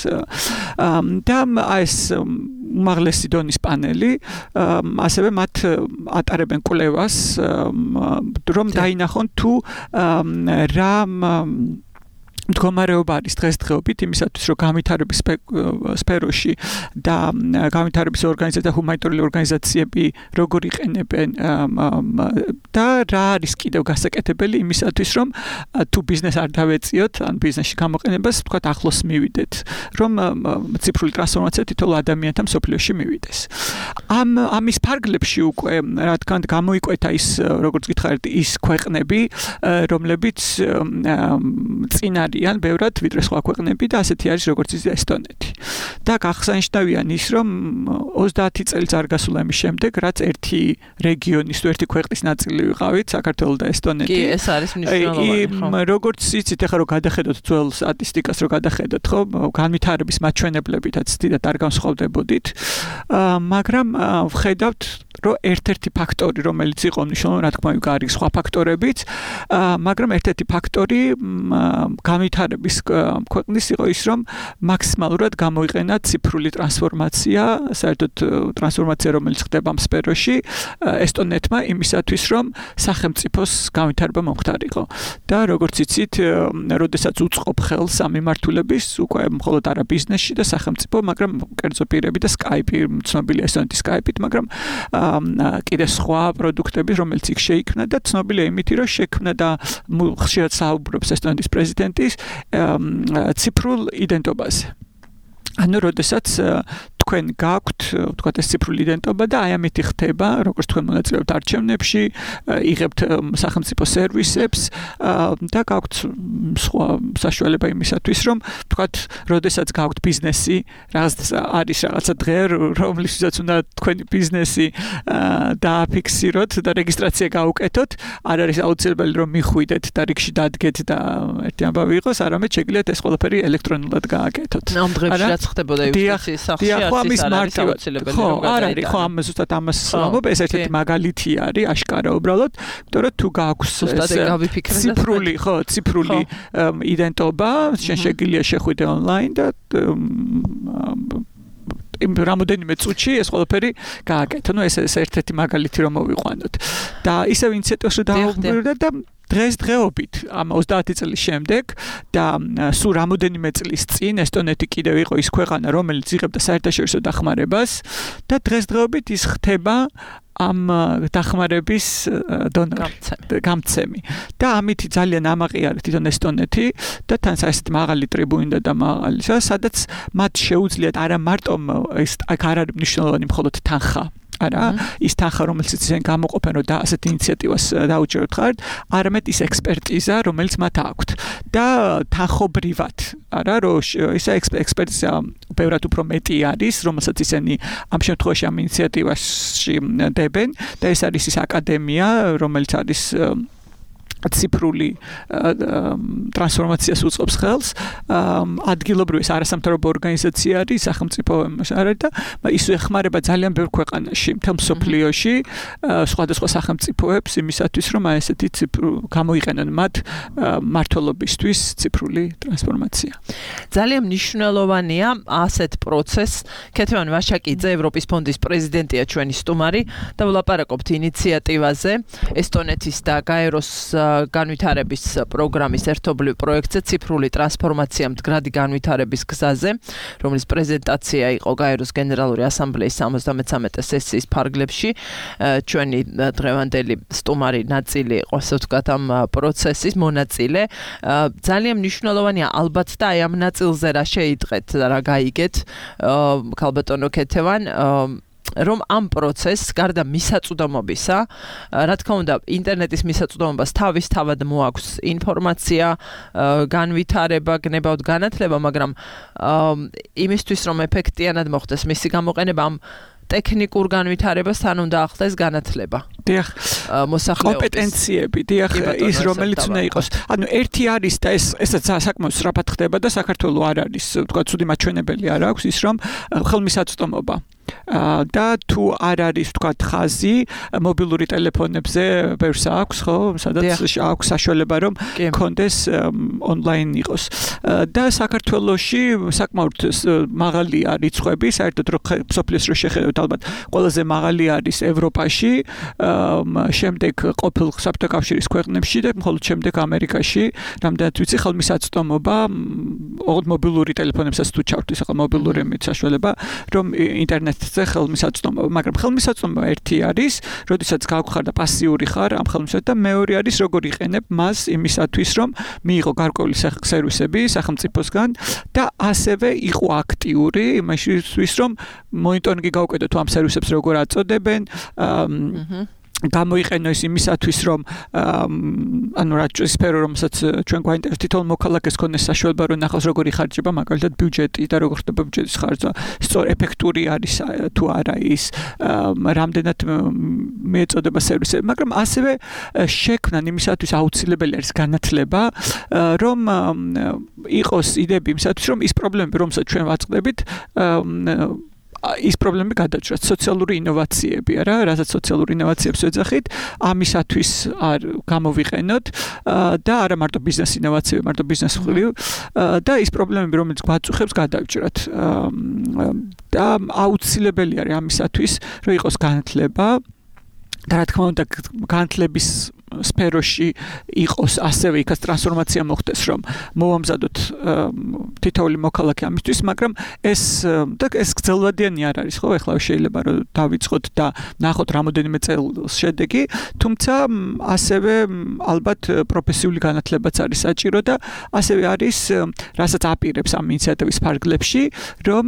და ეს უმაღლესი დონის პანელი, ასევე მათ ატარებენ კვლევას, რომ დაინახონ თუ რა მდგომარეობა არის დღესდღეობით იმისათვის, რომ განვითარების სფეროში და განვითარების ორგანიზაცია და ჰუმანიტარული ორგანიზაციები როგორ იყენებენ და რა არის კიდევ გასაკეთებელი იმისათვის, რომ თუ ბიზნეს არ დავეწიოთ, ან ბიზნესში გამოყენებას თქვათ ახლოს მივიდეთ, რომ ციფრული ტრანსფორმაცია თითოეულ ადამიანთან მსოფლიოში მივიდეს. ამ ამის ფარგლებში უკვე რა თქმა უნდა გამოიკვეთა ის, როგორც გითხარით, ის ქვეყნები, რომლებიც წინარ ან ბევრად ვიდრე სხვა ქვეყნები და ასეთი არის როგორც ის ესტონეთი. და გახსანიშნავია ის, რომ ოცდაათი წელიც არ გასულა იმის შემდეგ, რაც ერთი რეგიონის თუ ერთი ქვეყნის ნაწილი ვიყავით, საქართველო და ესტონეთი. კი, ეს არის მნიშვნელოვანი. როგორც იცით, ახლა რომ გადახედოთ ძველ სტატისტიკას, რომ გადახედოთ, ხო, განვითარების მაჩვენებლებითაც დიდად არ განსხვავდებოდით, მაგრამ ვხედავთ, რომ ერთ-ერთი ფაქტორი, რომელიც იყო მნიშვნელოვანი, რა თქმა უნდა, არის სხვა ფაქტორებიც, მაგრამ ერთ-ერთი ფაქტორი განვითარების ქვეყნის იყო ის, რომ მაქსიმალურად გამოიყენა ციფრული ტრანსფორმაცია, საერთოდ ტრანსფორმაცია, რომელიც ხდება ამ სფეროში, ესტონეთმა იმისათვის, რომ სახელმწიფოს განვითარება მომხდარიყო. და როგორც იცით, როდესაც უწყობ ხელს ამ მიმართულების, უკვე მხოლოდ არა ბიზნესში და სახელმწიფო, მაგრამ კერძო პირები და Skype, ცნობილია ესტონეთის Skype-ით, მაგრამ კიდე სხვა პროდუქტები, რომელიც იქ შეიქმნა და ცნობილია იმით, რომ შექმნა და ხშირად საუბრობს ესტონეთის პრეზიდენტის ციფრულ იდენტობაზე. ანუ როდესაც თქვენ გაქვთ, ვთქვათ, ეს ციფრული იდენტობა და აი ამით ხდება, როგორც თქვენ მონაწილეობთ არჩევნებში, იღებთ სახელმწიფო სერვისებს და გაქვთ სხვა საშუალება იმისათვის, რომ ვთქვათ, როდესაც გაქვთ ბიზნესი, რაღაც არის რაღაცა დღე, რომლისთვისაც უნდა თქვენი ბიზნესი დააფიქსიროთ და რეგისტრაცია გაუკეთოთ, არ არის აუცილებელი, რომ მიხვიდეთ და რიგში დადგეთ და ერთი ამბავი იყოს, არამედ შეგიძლიათ ეს ყველაფერი ელექტრონულად გააკეთოთ. ამ დღეებში რაც ხდებოდა იუსტიციის სახლში, ამის მარტივად ხო არ არის ხო ამ ზუსტად ამას ვამბობ ეს ერთ-ერთი მაგალითი არის აშკარა უბრალოდ იმიტომ რომ თუ გაქვს ციფრული ხო ციფრული იდენტობა შენ შეგიძლია შეხვიდე ონლაინ და იმ რამოდენიმე წუთში ეს ყველაფერი გააკეთო. ნუ ეს ეს ერთ-ერთი მაგალითი რომ მოვიყვანოთ. და ისევ ინიციატივაში დავუბრუნდა და დღესდღეობით ამ ოცდაათი წლის შემდეგ და სულ რამოდენიმე წლის წინ ესტონეთი კიდევ იყო ის ქვეყანა რომელიც იღებდა საერთაშორისო დახმარებას და დღესდღეობით ის ხდება ამ დახმარების დონორი გამცემი და ამით ძალიან ამაყი არის თვითონ ესტონეთი და თან საერთოდ მაღალი ტრიბუნი და მაღალი სადაც მათ შეუძლიათ არა მარტო ეს აქ არ არის მნიშვნელოვანი მხოლოდ თანხა არა ის თანხა რომელიც ისინი გამოყოფენ რომ და ასეთ ინიციატივას დაუჭეროთ ხართ არამედ ის ექსპერტიზა რომელიც მათ აქვთ და თანხობრივად არა რომ ეს ექსპერტიზა ბევრად უფრო მეტი არის რომელსაც ისინი ამ შემთხვევაში ამ ინიციატივაში დებენ და ეს არის ის აკადემია რომელიც არის ციფრული ტრანსფორმაციას უწყობს ხელს ადგილობრივი არასამთავრობო ორგანიზაცია არის სახელმწიფო არის და ის ეხმარება ძალიან ბევრ ქვეყანაში მთელ მსოფლიოში სხვადასხვა სახელმწიფოებს იმისათვის რომ აი ესეთი გამოიყენონ მათ მართლობისთვის ციფრული ტრანსფორმაცია ძალიან მნიშვნელოვანია ასეთ პროცესს ქეთევან ვაშაკიძე ევროპის ფონდის პრეზიდენტია ჩვენი სტუმარი და ვლაპარაკობთ ინიციატივაზე ესტონეთის და გაეროს განვითარების პროგრამის ერთობლივ პროექტზე ციფრული ტრანსფორმაცია მდგრადი განვითარების გზაზე, რომლის პრეზენტაცია იყო გაეროს გენერალური ასამბლეის სამოცდამეცამეტე სესიის ფარგლებში. ჩვენი დღევანდელი სტუმარი ნაწილი იყო, ასე ვთქვათ, ამ პროცესის მონაწილე. ძალიან მნიშვნელოვანია ალბათ და აი ამ ნაწილზე რა შეიტყეთ და რა გაიგეთ ქალბატონო ქეთევან რომ ამ პროცესს გარდა მისაწვდომობისა, რა თქმა უნდა, ინტერნეტის მისაწვდომობას თავის თავად მოაქვს ინფორმაცია, განვითარება, გნებავთ განათლება, მაგრამ იმისთვის რომ ეფექტიანად მოხდეს მისი გამოყენება ამ ტექნიკურ განვითარებასთან უნდა ახდას განათლება. დიახ. მოსახლეობის კომპეტენციები, დიახ, ის რომელიც უნდა იყოს. ანუ ერთი არის და ეს ესაც საკმაოდ სწრაფად ხდება და საქართველოს არ არის, თქვა, ცუდი მაჩვენებელი არ აქვს ის რომ ხელმისაწვდომობა და თუ არ არის თქვა ხაზი მობილური ტელეფონებზე ბევრს აქვს ხო სადაც აქვს საშუალება რომ კონდეს ონლაინ იყოს და საქართველოში საკმაოდ მაღალი არის რიცხვები საერთოდ რომ სოფლიოს რო შეხედოთ ალბათ ყველაზე მაღალი არის ევროპაში შემდეგ ყოფილ საბჭოთა კავშირის ქვეყნებში და მხოლოდ შემდეგ ამერიკაში რამდენად ვიცი ხელმისაწვდომობა ოღონდ მობილური ტელეფონებსაც თუ ჩავთვლის ახლა მობილური საშუალება რომ ინტერნეტ ზე ხელმისაწვდომობა, მაგრამ ხელმისაწვდომობა ერთი არის, როდესაც გავხარ და პასიური ხარ ამ ხელმისაწვდომად და მეორე არის როგორ იყენებ მას იმისათვის, რომ მიიღო გარკვეული სერვისები სახელმწიფოსგან და ასევე იყო აქტიური იმისთვის, რომ მონიტორინგი გავუკეთო თუ ამ სერვისებს როგორ აწოდებენ, გამოიყენო ის იმისათვის რომ ანუ რა სფერო რომელსაც ჩვენ გვაინტერესებს თითოეულ მოქალაქეს ქონდეს საშუალება რომ ნახოს როგორი ხარჯება მაგალითად ბიუჯეტი და როგორ ხდება ბიუჯეტის ხარჯვა სწორ ეფექტური არის თუ არა ის რამდენად მეწოდება სერვისები მაგრამ ასევე შექმნან იმისათვის აუცილებელი არის განათლება რომ იყოს იდეები იმისათვის რომ ის პრობლემები რომელსაც ჩვენ ვაწყდებით ის პრობლემები გადაჭრათ სოციალური ინოვაციები არა რასაც სოციალური ინოვაციებს ვეძახით ამისათვის არ გამოვიყენოთ და არა მარტო ბიზნეს ინოვაციები მარტო ბიზნეს მხრივ და ის პრობლემები რომელიც გვაწუხებს გადავჭრათ და აუცილებელი არის ამისათვის რომ იყოს განათლება და რა თქმა უნდა განათლების სფეროში იყოს ასევე იქაც ტრანსფორმაცია მოხდეს რომ მოვამზადოთ თითოეული მოქალაქე ამისთვის მაგრამ ეს და ეს გრძელვადიანი არ არის ხო ეხლა შეიძლება რომ დავიწყოთ და ნახოთ რამოდენიმე წელს შედეგი თუმცა ასევე ალბათ პროფესიული განათლებაც არის საჭირო და ასევე არის რასაც აპირებს ამ ინიციატივის ფარგლებში რომ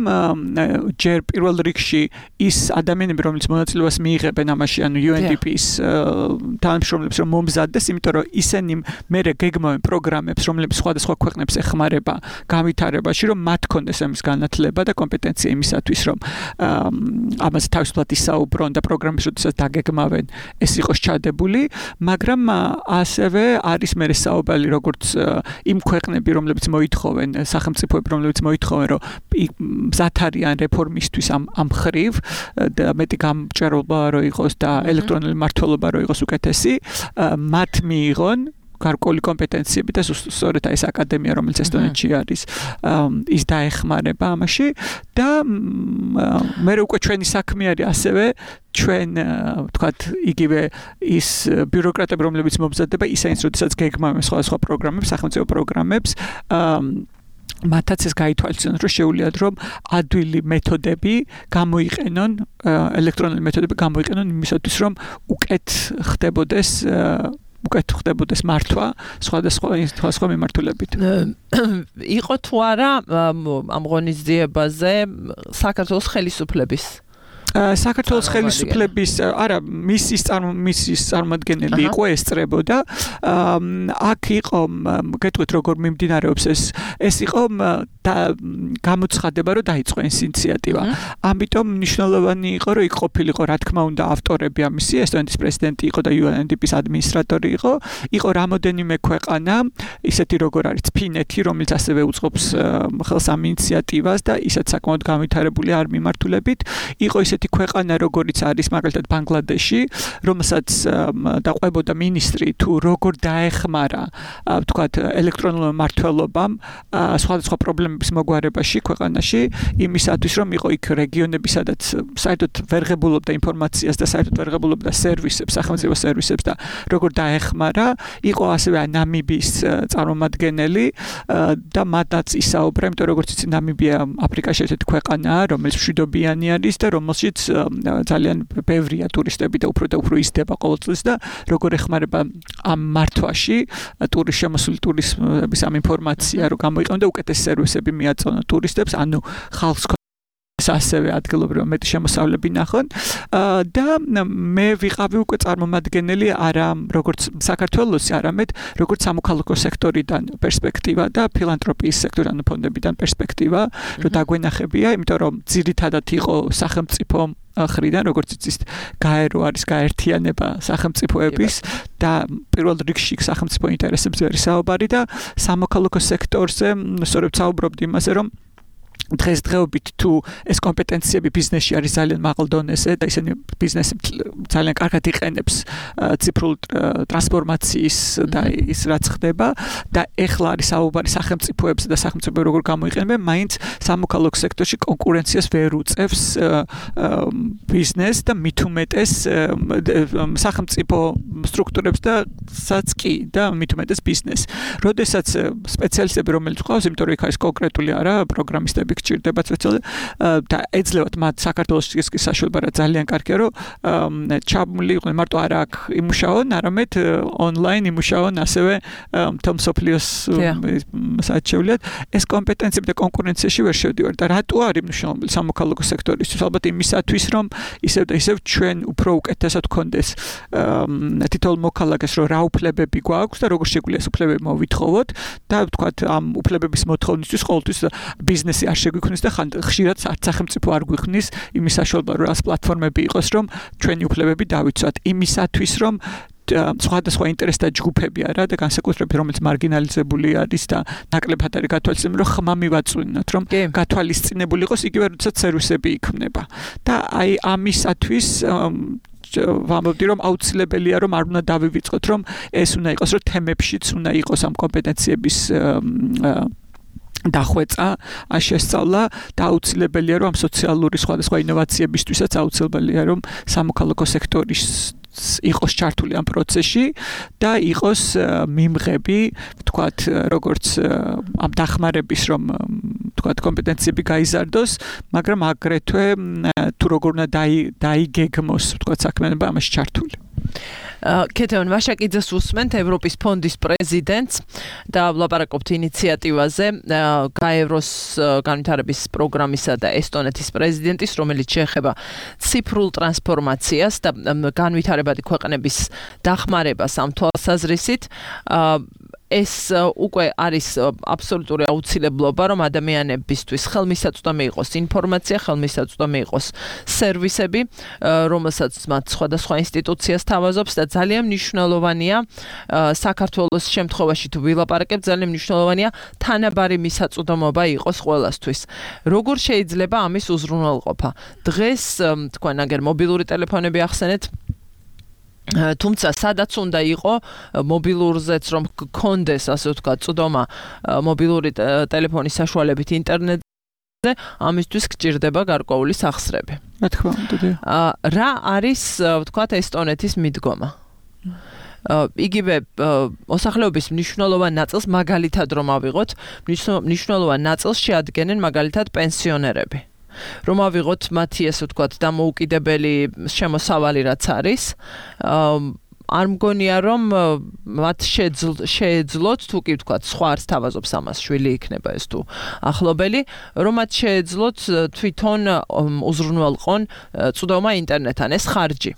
ჯერ პირველ რიგში ის ადამიანები რომლებიც მონაწილეობას მიიღებენ ამაში ანუ იუ ენ დი პი-ის თანამშრომლებს რომ მომზადდეს, იმიტომ რომ ისინი მერე გეგმავენ პროგრამებს, რომლებიც სხვადასხვა ქვეყნებს ეხმარება განვითარებაში, რომ მათ კონდეს ამის განათლება და კომპეტენცია იმისათვის, რომ ამაზე თავისუფლად ისაუბრონ და პროგრამებს როდესაც დაგეგმავენ, ეს იყოს ჩადებული, მაგრამ ასევე არის მერე საუბარი როგორც იმ ქვეყნები, რომლებიც მოითხოვენ, სახელმწიფოები, რომლებიც მოითხოვენ, რომ მზად არიან რეფორმისთვის ამ ამ ხრივ და მეტი გამჭვირვალობა რო იყოს და ელექტრონული მმართველობა რო იყოს უკეთესი, მათ მიიღონ გარკვეული კომპეტენციები და სწორედ ეს აკადემია, რომელიც ესტონეთში არის, ის დაეხმარება ამაში და მე უკვე ჩვენი საქმე არის ასევე ჩვენ ვთქვათ იგივე ის ბიუროკრატები, რომლებიც მომზადდება, ისინიც როდესაც გეგმავენ სხვადასხვა პროგრამებს, სახელმწიფო პროგრამებს, მათაც ეს გაითვალისწინოთ, რომ შეუძლიათ რომ ადვილი მეთოდები გამოიყენონ, ელექტრონული მეთოდები გამოიყენონ იმისათვის, რომ უკეთ ხდებოდეს უკეთ ხდებოდეს მართვა სხვადასხვა სხვადასხვა მიმართულებით. იყო თუ არა ამ ღონისძიებაზე საქართველოს ხელისუფლების საქართველოს ხელისუფლების არა მისის მისის წარმომადგენელი იყო ესწრებოდა აქ იყო გეტყვით როგორ მიმდინარეობს ეს ეს იყო გამოცხადება რომ დაიწყო ეს ინიციატივა ამიტომ მნიშვნელოვანი იყო რომ იქ ყოფილიყო რა თქმა უნდა ავტორები ამისი ესტონეთის პრეზიდენტი იყო და იუ ენ დი პის ადმინისტრატორი იყო იყო რამოდენიმე ქვეყანა ისეთი როგორ არის ფინეთი რომელიც ასევე უწყობს ხელს ამ ინიციატივას და ისეთ საკმაოდ განვითარებული არ მიმართულებით იყო ისეთი ქვეყანა როგორიც არის მაგალითად ბანგლადეში რომელსაც დაყვებოდა მინისტრი თუ როგორ დაეხმარა ვთქვათ ელექტრონულ მმართველობამ სხვადასხვა პრობლემების მოგვარებაში ქვეყანაში იმისათვის რომ იყო იქ რეგიონები სადაც საერთოდ ვერ ღებულობდა ინფორმაციას და საერთოდ ვერ ღებულობდა სერვისებს სახელმწიფო სერვისებს და როგორ დაეხმარა იყო ასევე ნამიბიის წარმომადგენელი და მათაც ისაუბრა იმიტომ როგორც იცი ნამიბია აფრიკაში ერთ-ერთი ქვეყანაა რომელიც მშვიდობიანი არის და რომელშიც ძალიან ბევრია ტურისტები და უფრო და უფრო იზრდება ყოველწლის და როგორ ეხმარება ამ მართვაში ტურისტ შემოსული ტურისტების ამ ინფორმაცია რომ გამოიყენონ და უკეთეს სერვისები მიაწონონ ტურისტებს ანუ ხალხს ასევე ადგილობრივ მეტი შემოსავლები ნახონ და მე ვიყავი უკვე წარმომადგენელი არა როგორც საქართველოსი არამედ როგორც სამოქალაქო სექტორიდან პერსპექტივა და ფილანთროპიის სექტორიდან ფონდებიდან პერსპექტივა რომ დაგვენახებია იმიტომ რომ ძირითადად იყო სახელმწიფო ხრიდან როგორც იცით გაერო არის გაერთიანება სახელმწიფოების და პირველ რიგში სახელმწიფო ინტერესებზე არის საუბარი და სამოქალაქო სექტორზე სწორედ საუბრობდი იმაზე რომ დღესდღეობით თუ ეს კომპეტენციები ბიზნესში არის ძალიან მაღალ დონეზე და ისინი ბიზნესი ძალიან კარგად იყენებს ციფრულ ტრანსფორმაციის და ის რაც ხდება და ეხლა არის საუბარი სახელმწიფოებზე და სახელმწიფო როგორ გამოიყენებენ მაინც სამოქალაქო სექტორში კონკურენციას ვერ უწევს ბიზნეს და მით უმეტეს სახელმწიფო სტრუქტურებს და საც კი და მით უმეტეს ბიზნეს. როდესაც სპეციალისტები რომელიც ყავს, იმიტომ რომ იქ არის კონკრეტული არა პროგრამისტები გჭირდება სპეციალისტები და ეძლევათ მათ საქართველოს ის საშუალება რა ძალიან კარგია რომ ჩამული იყვნენ მარტო არა აქ იმუშაონ, არამედ ონლაინ იმუშაონ ასევე თომსოფლიოს საჩეულიად ეს კომპეტენციები და კონკურენციაში ვერ შევდივარ და რატო არის მნიშვნელოვანი სამოქალაქო სექტორისთვის ალბათ იმისათვის რომ ისევ და ისევ ჩვენ უფრო უკეთესად გქონდეს თითოეულ მოქალაქეს რომ რა უფლებები გვაქვს და როგორ შეგვიძლია ეს უფლებები მოვითხოვოთ და ვთქვათ ამ უფლებების მოთხოვნისთვის ყოველთვის ბიზნესი არ შეგვიქმნის და ხშირად არც სახელმწიფო არ გვიქმნის იმის საშუალება რომ ეს პლატფორმები იყოს რომ ჩვენი უფლებები დავიცვათ იმისათვის რომ სხვადასხვა ინტერესთა ჯგუფები არა და განსაკუთრებით რომელიც მარგინალიზებული არის და ნაკლებად არის გათვალისწინებული რომ ხმა მივაწვინოთ რომ გათვალისწინებული იყოს იგივე როდესაც სერვისები იქმნება და აი ამისათვის ვამბობდი რომ აუცილებელია რომ არ უნდა დავივიწყოთ რომ ეს უნდა იყოს რომ თემებშიც უნდა იყოს ამ კომპეტენციების დახვეწა, შესწავლა და აუცილებელია რომ ამ სოციალური სხვადასხვა ინოვაციებისთვისაც აუცილებელია რომ სამოქალაქო სექტორის იყოს ჩართული ამ პროცესში და იყოს მიმღები, ვთქვათ, როგორც ამ დახმარების რომ ვთქვათ კომპეტენციები გაიზარდოს, მაგრამ აგრეთვე თუ როგორ უნდა დაიგეგმოს, ვთქვათ, საქმიანობა ამაში ჩართული. ქეთევან ვაშაკიძეს უსმენთ ევროპის ფონდის პრეზიდენტს და ვლაპარაკობთ ინიციატივაზე გაევროს განვითარების პროგრამისა და ესტონეთის პრეზიდენტის, რომელიც შეეხება ციფრულ ტრანსფორმაციას და განვითარებადი ქვეყნების დახმარებას ამ თვალსაზრისით. ეს უკვე არის აბსოლუტური აუცილებლობა, რომ ადამიანებისთვის ხელმისაწვდომი იყოს ინფორმაცია, ხელმისაწვდომი იყოს სერვისები, რომელსაც მათ სხვადასხვა ინსტიტუციას თავაზობს და ძალიან მნიშვნელოვანია საქართველოს შემთხვევაში თუ ვილაპარაკებთ, ძალიან მნიშვნელოვანია თანაბარი მისაწვდომობა იყოს ყველასთვის. როგორ შეიძლება ამის უზრუნველყოფა? დღეს თქვენ აგერ მობილური ტელეფონები ახსენეთ, თუმცა სადაც უნდა იყო მობილურზეც რომ გქონდეს ასე ვთქვათ წვდომა მობილური ტელეფონის საშუალებით ინტერნეტზე ამისთვის გჭირდება გარკვეული სახსრები. რა თქმა უნდა. რა არის ვთქვათ ესტონეთის მიდგომა? იგივე მოსახლეობის მნიშვნელოვან ნაწილს მაგალითად რომ ავიღოთ, მნიშვნელოვან ნაწილს შეადგენენ მაგალითად პენსიონერები. რომ ავიღოთ მათი ასე ვთქვათ დამოუკიდებელი შემოსავალი რაც არის, არ მგონია რომ მათ შეეძლოთ თუ კი ვთქვათ სხვა არც თავაზობს ამას შვილი იქნება ეს თუ ახლობელი, რომ მათ შეეძლოთ თვითონ უზრუნველყონ წვდომა ინტერნეტთან, ეს ხარჯი.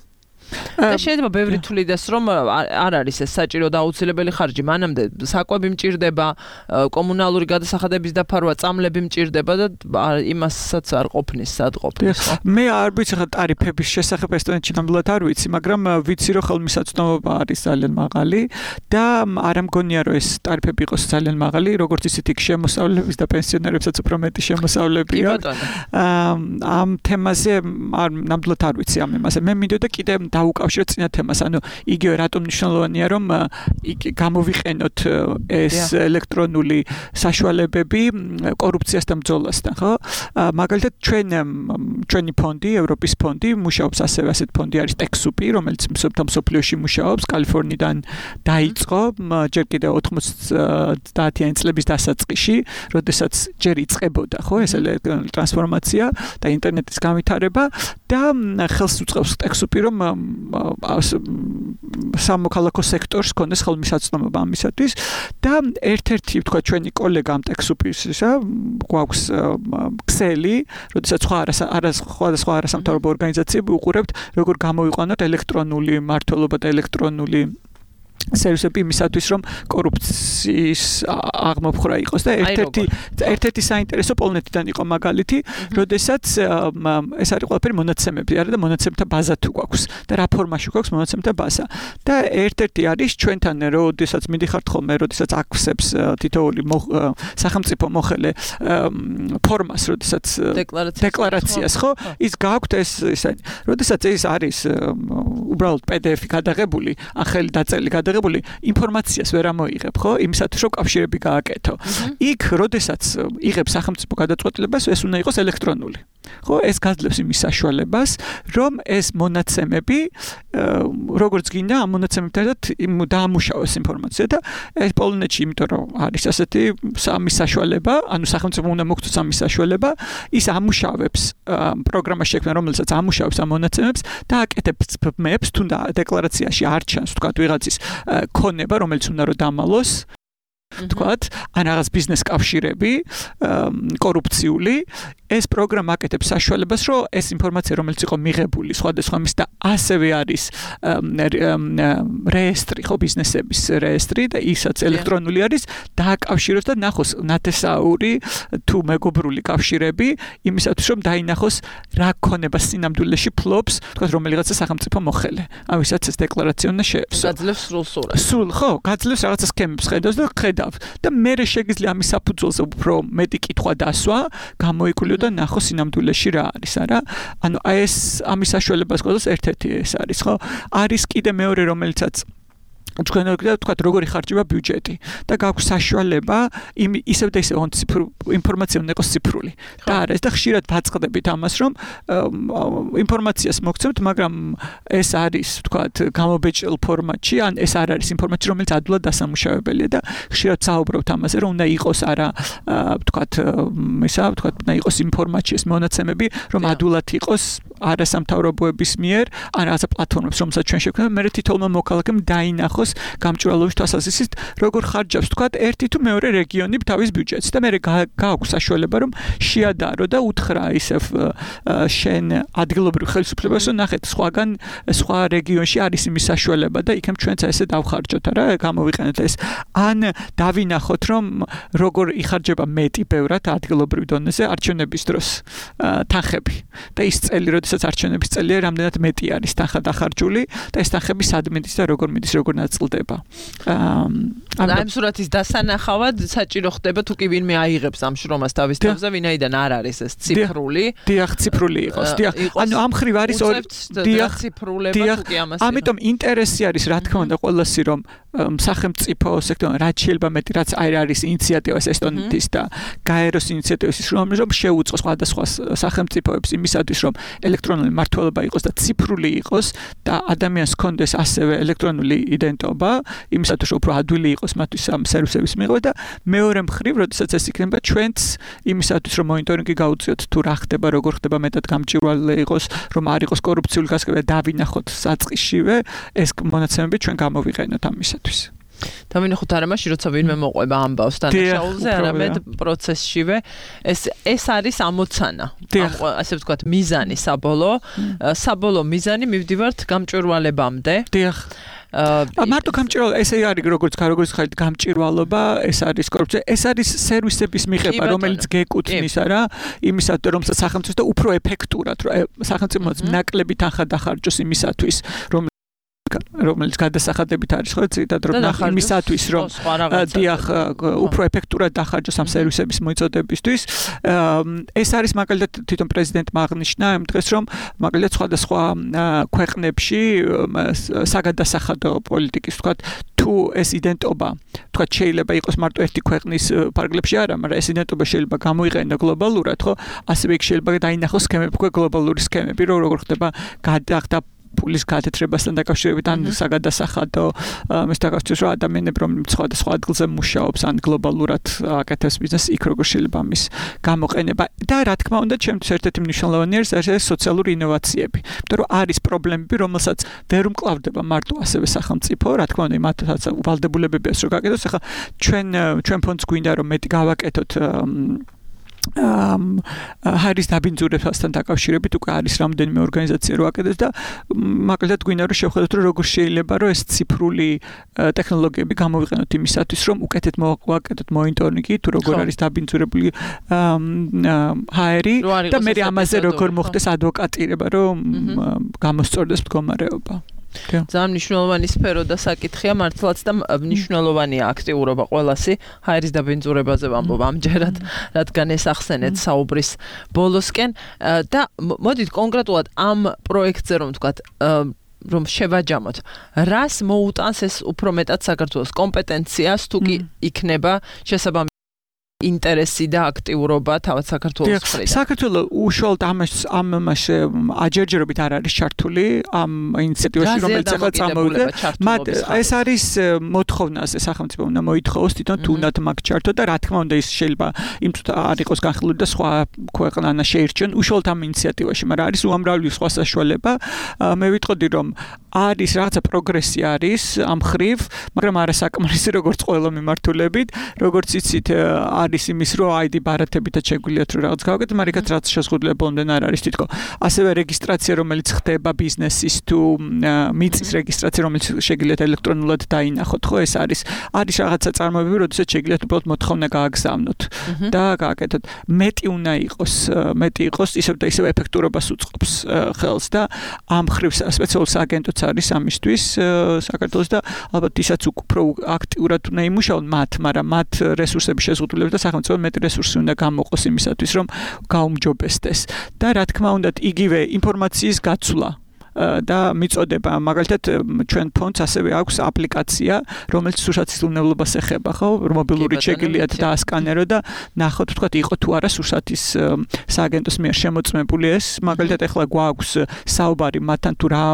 და შეიძლება ბევრი თulides რომ არ არის ეს საჭირო და აუცილებელი ხარჯი, მანამდე საკვები მჭირდება, კომუნალური გადასახადების დაფარვა, წამლები მჭირდება და იმასაც არ ყოფნის, სად ყოფნის. მე არ ვიცი ხა ტარიფების შესახებ ესტონეთში ნამდვილად არ ვიცი, მაგრამ ვიცი რომ ხელმისაწვდომობა არის ძალიან მაღალი და არ მგონია რომ ეს ტარიფები იყოს ძალიან მაღალი, როგორც ისეთ იქ შემოსავლების და პენსიონერებსაც უფრო მეტი შემოსავლები აქვს. ამ თემაზე არ ნამდვილად არ ვიცი ამ იმაზე. მე მინდოდა კიდე დაუკავშიროთ წინა თემას, ანუ იგივე რატომ მნიშვნელოვანია რომ გამოვიყენოთ ეს ელექტრონული საშუალებები კორუფციასთან ბრძოლასთან, ხო? მაგალითად ჩვენ ჩვენი ფონდი, ევროპის ფონდი მუშაობს ასევე ასეთ ფონდი არის ტექსუპი, რომელიც მსოფლიოში მუშაობს, კალიფორნიიდან დაიწყო ჯერ კიდევ ოთხმოცდაათიანი წლების დასაწყისში, როდესაც ჯერ იწყებოდა, ხო, ეს ელექტრონული ტრანსფორმაცია და ინტერნეტის განვითარება და ხელს უწყობს ტექსუპი რომ სამოქალაქო სექტორს ქონდეს ხელმისაწვდომობა ამისათვის და ერთ-ერთი თქვა ჩვენი კოლეგა ამ ტექსუპისა გვაქვს ქსელი, როდესაც სხვა სხვადასხვა არასამთავრობო ორგანიზაციები უყურებთ როგორ გამოვიყვანოთ ელექტრონული მმართველობა და ელექტრონული სერვისები იმისათვის რომ კორუფციის აღმოფხვრა იყოს და ერთ-ერთი ერთ-ერთი საინტერესო პოლონეთიდან იყო მაგალითი, როდესაც ეს არის ყველაფერი მონაცემები არა და მონაცემთა ბაზა თუ გვაქვს და რა ფორმაში გვაქვს მონაცემთა ბაზა და ერთ-ერთი არის ჩვენთან როდესაც მიდიხართ ხოლმე, როდესაც აქვსებს თითოეული სახელმწიფო მოხელე ფორმას, როდესაც დეკლარაციას, ხო, ის გააქვთ ეს ისე, როდესაც ეს არის უბრალოდ პი დი ეფი გადაღებული, ახალი დაწელი გადაღებული ინფორმაციას ვერ ამოიღებ, ხო? იმისათვის რომ კავშირები გააკეთო. იქ, როდესაც იღებს სახელმწიფო გადაწყვეტილებას, ეს უნდა იყოს ელექტრონული. ხო, ეს გაძლევს იმის საშუალებას, რომ ეს მონაცემები, როგორც გინდა, ამ მონაცემებთან დაამუშავოს ინფორმაცია და ეს პოლონეთში, იმიტომ რომ არის ასეთი სამი საშუალება, ანუ სახელმწიფო უნდა მოგწოს ამის საშუალება, ის ამუშავებს პროგრამას შექმნა, რომელსაც ამუშავებს ამ მონაცემებს და აკეთებს ბმებს, თუნდა დეკლარაციაში არ ჩანს, თქვა ვიღაცის ქონება, რომელიც უნდა რომ დამალოს, თქვათ, ან რაღაც ბიზნეს კავშირები, კორუფციული, ეს პროგრამა აკეთებს საშუალებას, რომ ეს ინფორმაცია, რომელიც იყო მიღებული სხვადასხვა მის და ასევე არის რეესტრი, ხო, ბიზნესების რეესტრი და ისაც ელექტრონული არის, დააკავშიროს და ნახოს ნათესაური თუ მეგობრული კავშირები, იმისათვის რომ დაინახოს რა ქონება სინამდვილეში ფლობს, თქვათ, რომელიღაცა სახელმწიფო მოხელე. ამისაც ეს დეკლარაცია უნდა შეეცვლოს. გაძლევს სრულ სურათს. სულ, ხო, გაძლევს რაღაცა სქემებს ხედავს და ხედავს და მე შეიძლება ამის საფუძველზე უფრო მეტი კითხვა დასვა, გამოიკულიო და ნახო სინამდვილეში რა არის, არა? ანუ ეს ამის საშუალებას გვაქვს ერთ-ერთი ეს არის, ხო? არის კიდე მეორე, რომელიცაც თქვენ თქვათ როგორი ხარჯება ბიუჯეტი და გაქვს საშუალება იმ ისევ და ისევ ინფორმაცია უნდა იყოს ციფრული და არა ეს და ხშირად ვაწყდებით ამას რომ ინფორმაციას მოგცემთ მაგრამ ეს არის თქვათ გამობეჭდილ ფორმატში ან ეს არ არის ინფორმაცია რომელიც ადვილად დასამუშავებელია და ხშირად საუბრობთ ამაზე რომ უნდა იყოს არა თქვათ ისა თქვათ უნდა იყოს იმ ფორმატში ეს მონაცემები რომ ადვილად იყოს არასამთავრობოების მიერ ან რაღაცა პლატფორმებს რომელსაც ჩვენ შევქმნით მე თითოეულმა მოქალაქემ დაინახოს გამჭვირვალობის თვალსაზრისით როგორ ხარჯავს თქვათ ერთი თუ მეორე რეგიონი თავის ბიუჯეტს და მე გააქვს საშუალება რომ შეადარო და უთხრა ისევ შენ ადგილობრივ ხელისუფლებას რომ ნახეთ სხვაგან სხვა რეგიონში არის იმის საშუალება და იქნებ ჩვენც ესე დავხარჯოთ არა გამოვიყენოთ ეს ან დავინახოთ რომ როგორ იხარჯება მეტი ბევრად ადგილობრივ დონეზე არჩევნების დროს თანხები და ის წელი როდესაც არჩევნების წელია რამდენად მეტი არის თანხა დახარჯული და ეს თანხები სად მიდის და როგორ მიდის როგორ ნაწილდება და ამ სურათის დასანახავად საჭირო ხდება თუ კი ვინმე აიღებს ამ შრომას თავის თავზე ვინაიდან არ არის ეს ციფრული დიახ ციფრული იყოს დიახ ანუ ამ ხრივ არის დიახ ციფრულება თუ კი ამას ამიტომ ინტერესი არის რა თქმა უნდა ყველასი რომ სახელმწიფო სექტორ რაც შეიძლება მეტი რაც არის ინიციატივას ესტონეთის და გაეროს ინიციატივის რომ რომ შეუწყოს სხვადასხვა სახელმწიფოებს იმისათვის რომ ელექტრონული მმართველობა იყოს და ციფრული იყოს და ადამიანს ჰქონდეს ასევე ელექტრონული იდენტობა იმისათვის რომ უფრო ადვილი იყოს მათთვის ამ სერვისების მიღება და მეორე მხრივ როდესაც ეს იქნება ჩვენც იმისათვის რომ მონიტორინგი გაუწიოთ თუ რა ხდება როგორ ხდება მეტად გამჭვირვალე იყოს რომ არ იყოს კორუფციული გასაგები დავინახოთ საწყისშივე ეს მონაცემები ჩვენ გამოვიყენოთ ამისათვის დავინახოთ არა მაშინ როცა ვინმე მოყვება ამბავს დანაშაულზე არამედ პროცესშივე ეს ეს არის ამოცანა ასე ვთქვათ მიზანი საბოლოო საბოლოო მიზანი მივდივართ გამჭვირვალებამდე დიახ მარტო გამჭვირვალობა ესე არის როგორც როგორც ხარით გამჭვირვალობა ეს არის კორუფცია ეს არის სერვისების მიღება რომელიც გეკუთვნის არა იმისათვის რომ სახელმწიფო და უფრო ეფექტურად რომ სახელმწიფოც ნაკლები თანხა დახარჯოს იმისათვის რომ რომელიც გადასახადებით არის ხო ცირდად რომ იმისათვის რომ დიახ უფრო ეფექტურად დახარჯოს ამ სერვისების მოწოდებისთვის ეს არის მაგალითად თვითონ პრეზიდენტმა აღნიშნა იმ დღეს რომ მაგალითად სხვადასხვა ქვეყნებში საგადასახადო პოლიტიკის თქვა თუ ეს იდენტობა თქვა შეიძლება იყოს მარტო ერთი ქვეყნის პარგლებში არა მაგრამ ეს იდენტობა შეიძლება გამოიყენო გლობალურად ხო ასევე იქ შეიძლება დაინახოს სქემები უკვე გლობალური სქემები რომ როგორ ხდება გადახდა pulis კათედრებასთან დაკავშირებით ან საგადასახადო მის დაკავშირებით რომ ადამიანები რომ სხვადასხვა ადგილზე მუშაობს ან გლობალურად აკეთებს ბიზნესს იქ როგორ შეიძლება მის გამოყენება და რა თქმა უნდა ჩემთვის ერთ-ერთი მნიშვნელოვანი არის ეს სოციალური ინოვაციები იმიტომ რომ არის პრობლემები რომელსაც ვერ უმკლავდება მარტო ასევე სახელმწიფო რა თქმა უნდა იმათაც ვალდებულებებია რომ გაკეთოს ახლა ჩვენ ჩვენ ფონდს გვინდა რომ მეტი გავაკეთოთ ამ ჰარის დაბინძურებასთან დაკავშირებით უკვე არის რამდენიმე ორგანიზაცია რო აკეთებს და მაგალითად გვინდა რომ შევხედოთ რომ როგორ შეიძლება რომ ეს ციფრული ტექნოლოგიები გამოვიყენოთ იმისათვის რომ უკეთეთ მოვაკეთოთ მონიტორინგი თუ როგორ არის დაბინძურებული ჰაერი და მე ამაზე როგორ მოხდეს ადვოკატირება რომ გამოსწორდეს მდგომარეობა ძალიან მნიშვნელოვანი სფერო და საკითხია მართლაც და მნიშვნელოვანია აქტიურობა ყველასი ჰაერის დაბინძურებაზე ვამბობ ამჯერად რადგან ეს ახსენეთ საუბრის ბოლოსკენ და მოდით კონკრეტულად ამ პროექტზე რომ ვთქვათ რომ შევაჯამოთ რას მოუტანს ეს უფრო მეტად საქართველოს კომპეტენციას თუ კი იქნება შესაბამისი ინტერესი და აქტიურობა თავად საქართველოს მხრიდან. საქართველოს უშუალოდ ამას ამას აჯერჯერობით არ არის ჩართული ამ ინიციატივაში რომელიც ახლა წამოვიდა. მათ ეს არის მოთხოვნაზე სახელმწიფო უნდა მოითხოვოს თვითონ თუ უნდა მაგ ჩართო და რა თქმა უნდა ის შეიძლება იმ არ იყოს განხილული და სხვა ქვეყანა შეირჩენ უშუალოდ ამ ინიციატივაში, მაგრამ არის უამრავი სხვა საშუალება. მე ვიტყოდი რომ არის რაღაცა პროგრესი არის ამ ხრივ, მაგრამ არასაკმარისი როგორც ყველა მიმართულებით, როგორც იცით არის იმის რომ აიდი ბარათებითაც შეგვიძლიათ რომ რაღაც გავაკეთოთ, მაგრამ იქაც რაც შეზღუდული ბოლომდე არ არის თითქო. ასევე რეგისტრაცია რომელიც ხდება ბიზნესის თუ მიწის რეგისტრაცია რომელიც შეგიძლიათ ელექტრონულად დაინახოთ, ხო ეს არის არის რაღაცა წარმოებები, როდესაც შეგიძლიათ უბრალოდ მოთხოვნა გააგზავნოთ და გააკეთოთ. მეტი უნდა იყოს, მეტი იყოს ისევ და ისევ ეფექტურობას უწყობს ხელს და ამ ხრივ სპეციალური სააგენტოც არის ამისთვის საქართველოს და ალბათ ისაც უფრო აქტიურად უნდა იმუშაონ მათ, მაგრამ მათ რესურსების შეზღუდულებით და სახელმწიფო მეტი რესურსი უნდა გამოყოს იმისათვის რომ გაუმჯობესდეს და რა თქმა უნდა იგივე ინფორმაციის გაცვლა და მიწოდება. მაგალითად ჩვენ ფონდს ასევე აქვს აპლიკაცია, რომელიც სურსათის უნებლობას ეხება, ხო? მობილური შეგიძლიათ დაასკანერო და ნახოთ, ვთქვათ, იყო თუ არა სურსათის სააგენტოს მიერ შემოწმებული ეს. მაგალითად, ეხლა გვაქვს საუბარი მათთან თუ რა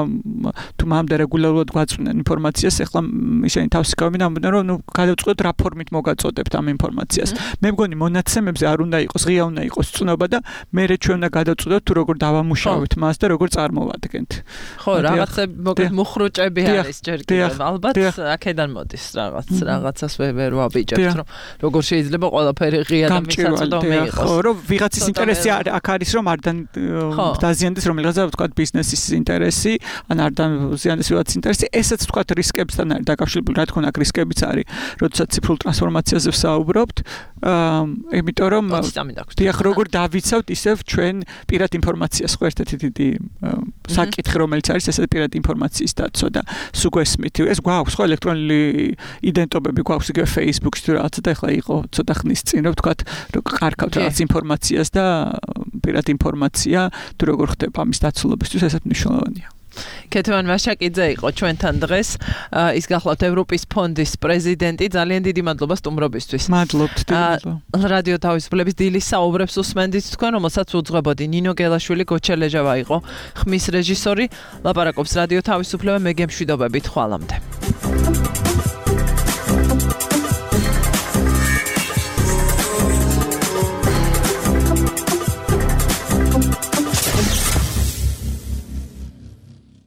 თუ მამდე რეგულარულად გვაწვნენ ინფორმაციას, ეხლა ისინი თავს იკავებენ, ამბობენ, რომ ნუ გადავწყვეტთ რა ფორმით მოგაწოდებთ ამ ინფორმაციას. მე მგონი მონაცემებზე არ უნდა იყოს, ღია უნდა იყოს წნობა და მე ჩვენ უნდა გადავწყვეტოთ თუ როგორ დავამუშავებთ მას და როგორ წარმოვადგენთ. ხო, რაღაცა მოგეთ მუხრუჭები არის ჯერ კიდევ. ალბათ აქედან მოდის რაღაც, რაღაცას ვერ ვაბიჭებთ, რომ როგორ შეიძლება ყველაფერი ღია და მისაწვდომი იყოს. ხო, რომ ვიღაცის ინტერესი აქ არის, რომ არ დაზიანდეს რომელიღაცა ვთქვათ ბიზნესის ინტერესი, ან არ დაზიანდეს ვიღაცის ინტერესი, ესაც ვთქვათ რისკებთან არის დაკავშირებული, რა თქმა უნდა, აქ რისკებიც არის, როდესაც ციფრულ ტრანსფორმაციაზე ვსაუბრობთ, იმიტომ რომ დიახ, როგორ დავიცავთ ისევ ჩვენ პირად ინფორმაციას, ხო, ერთ-ერთი დიდი საკითხი, რომელიც არის ესეთი პირად ინფორმაციის დაცვა და სულ გვესმით, ეს გვაქვს ხო ელექტრონული იდენტობები გვაქვს იგივე Facebook-ის თუ რაღაცა და ეხლა იყო ცოტა ხნის წინ რომ ვთქვათ, რომ ყარქავთ რაღაც ინფორმაციას და პირად ინფორმაცია თუ როგორ ხდება ამის დაცულობისთვის, ესეც მნიშვნელოვანია. ქეთევან ვაშაკიძე იყო ჩვენთან დღეს, ის გახლავთ ევროპის ფონდის პრეზიდენტი. ძალიან დიდი მადლობა სტუმრობისთვის. მადლობთ, დიდი. რადიო თავისუფლების დილის საუბრებს უსმენდით თქვენ, რომელსაც უძღვებოდი. ნინო გელაშვილი, გოჩელეჟავა იყო ხმის რეჟისორი. ლაპარაკობს რადიო თავისუფლება, მე გემშვიდობებით, ხვალამდე.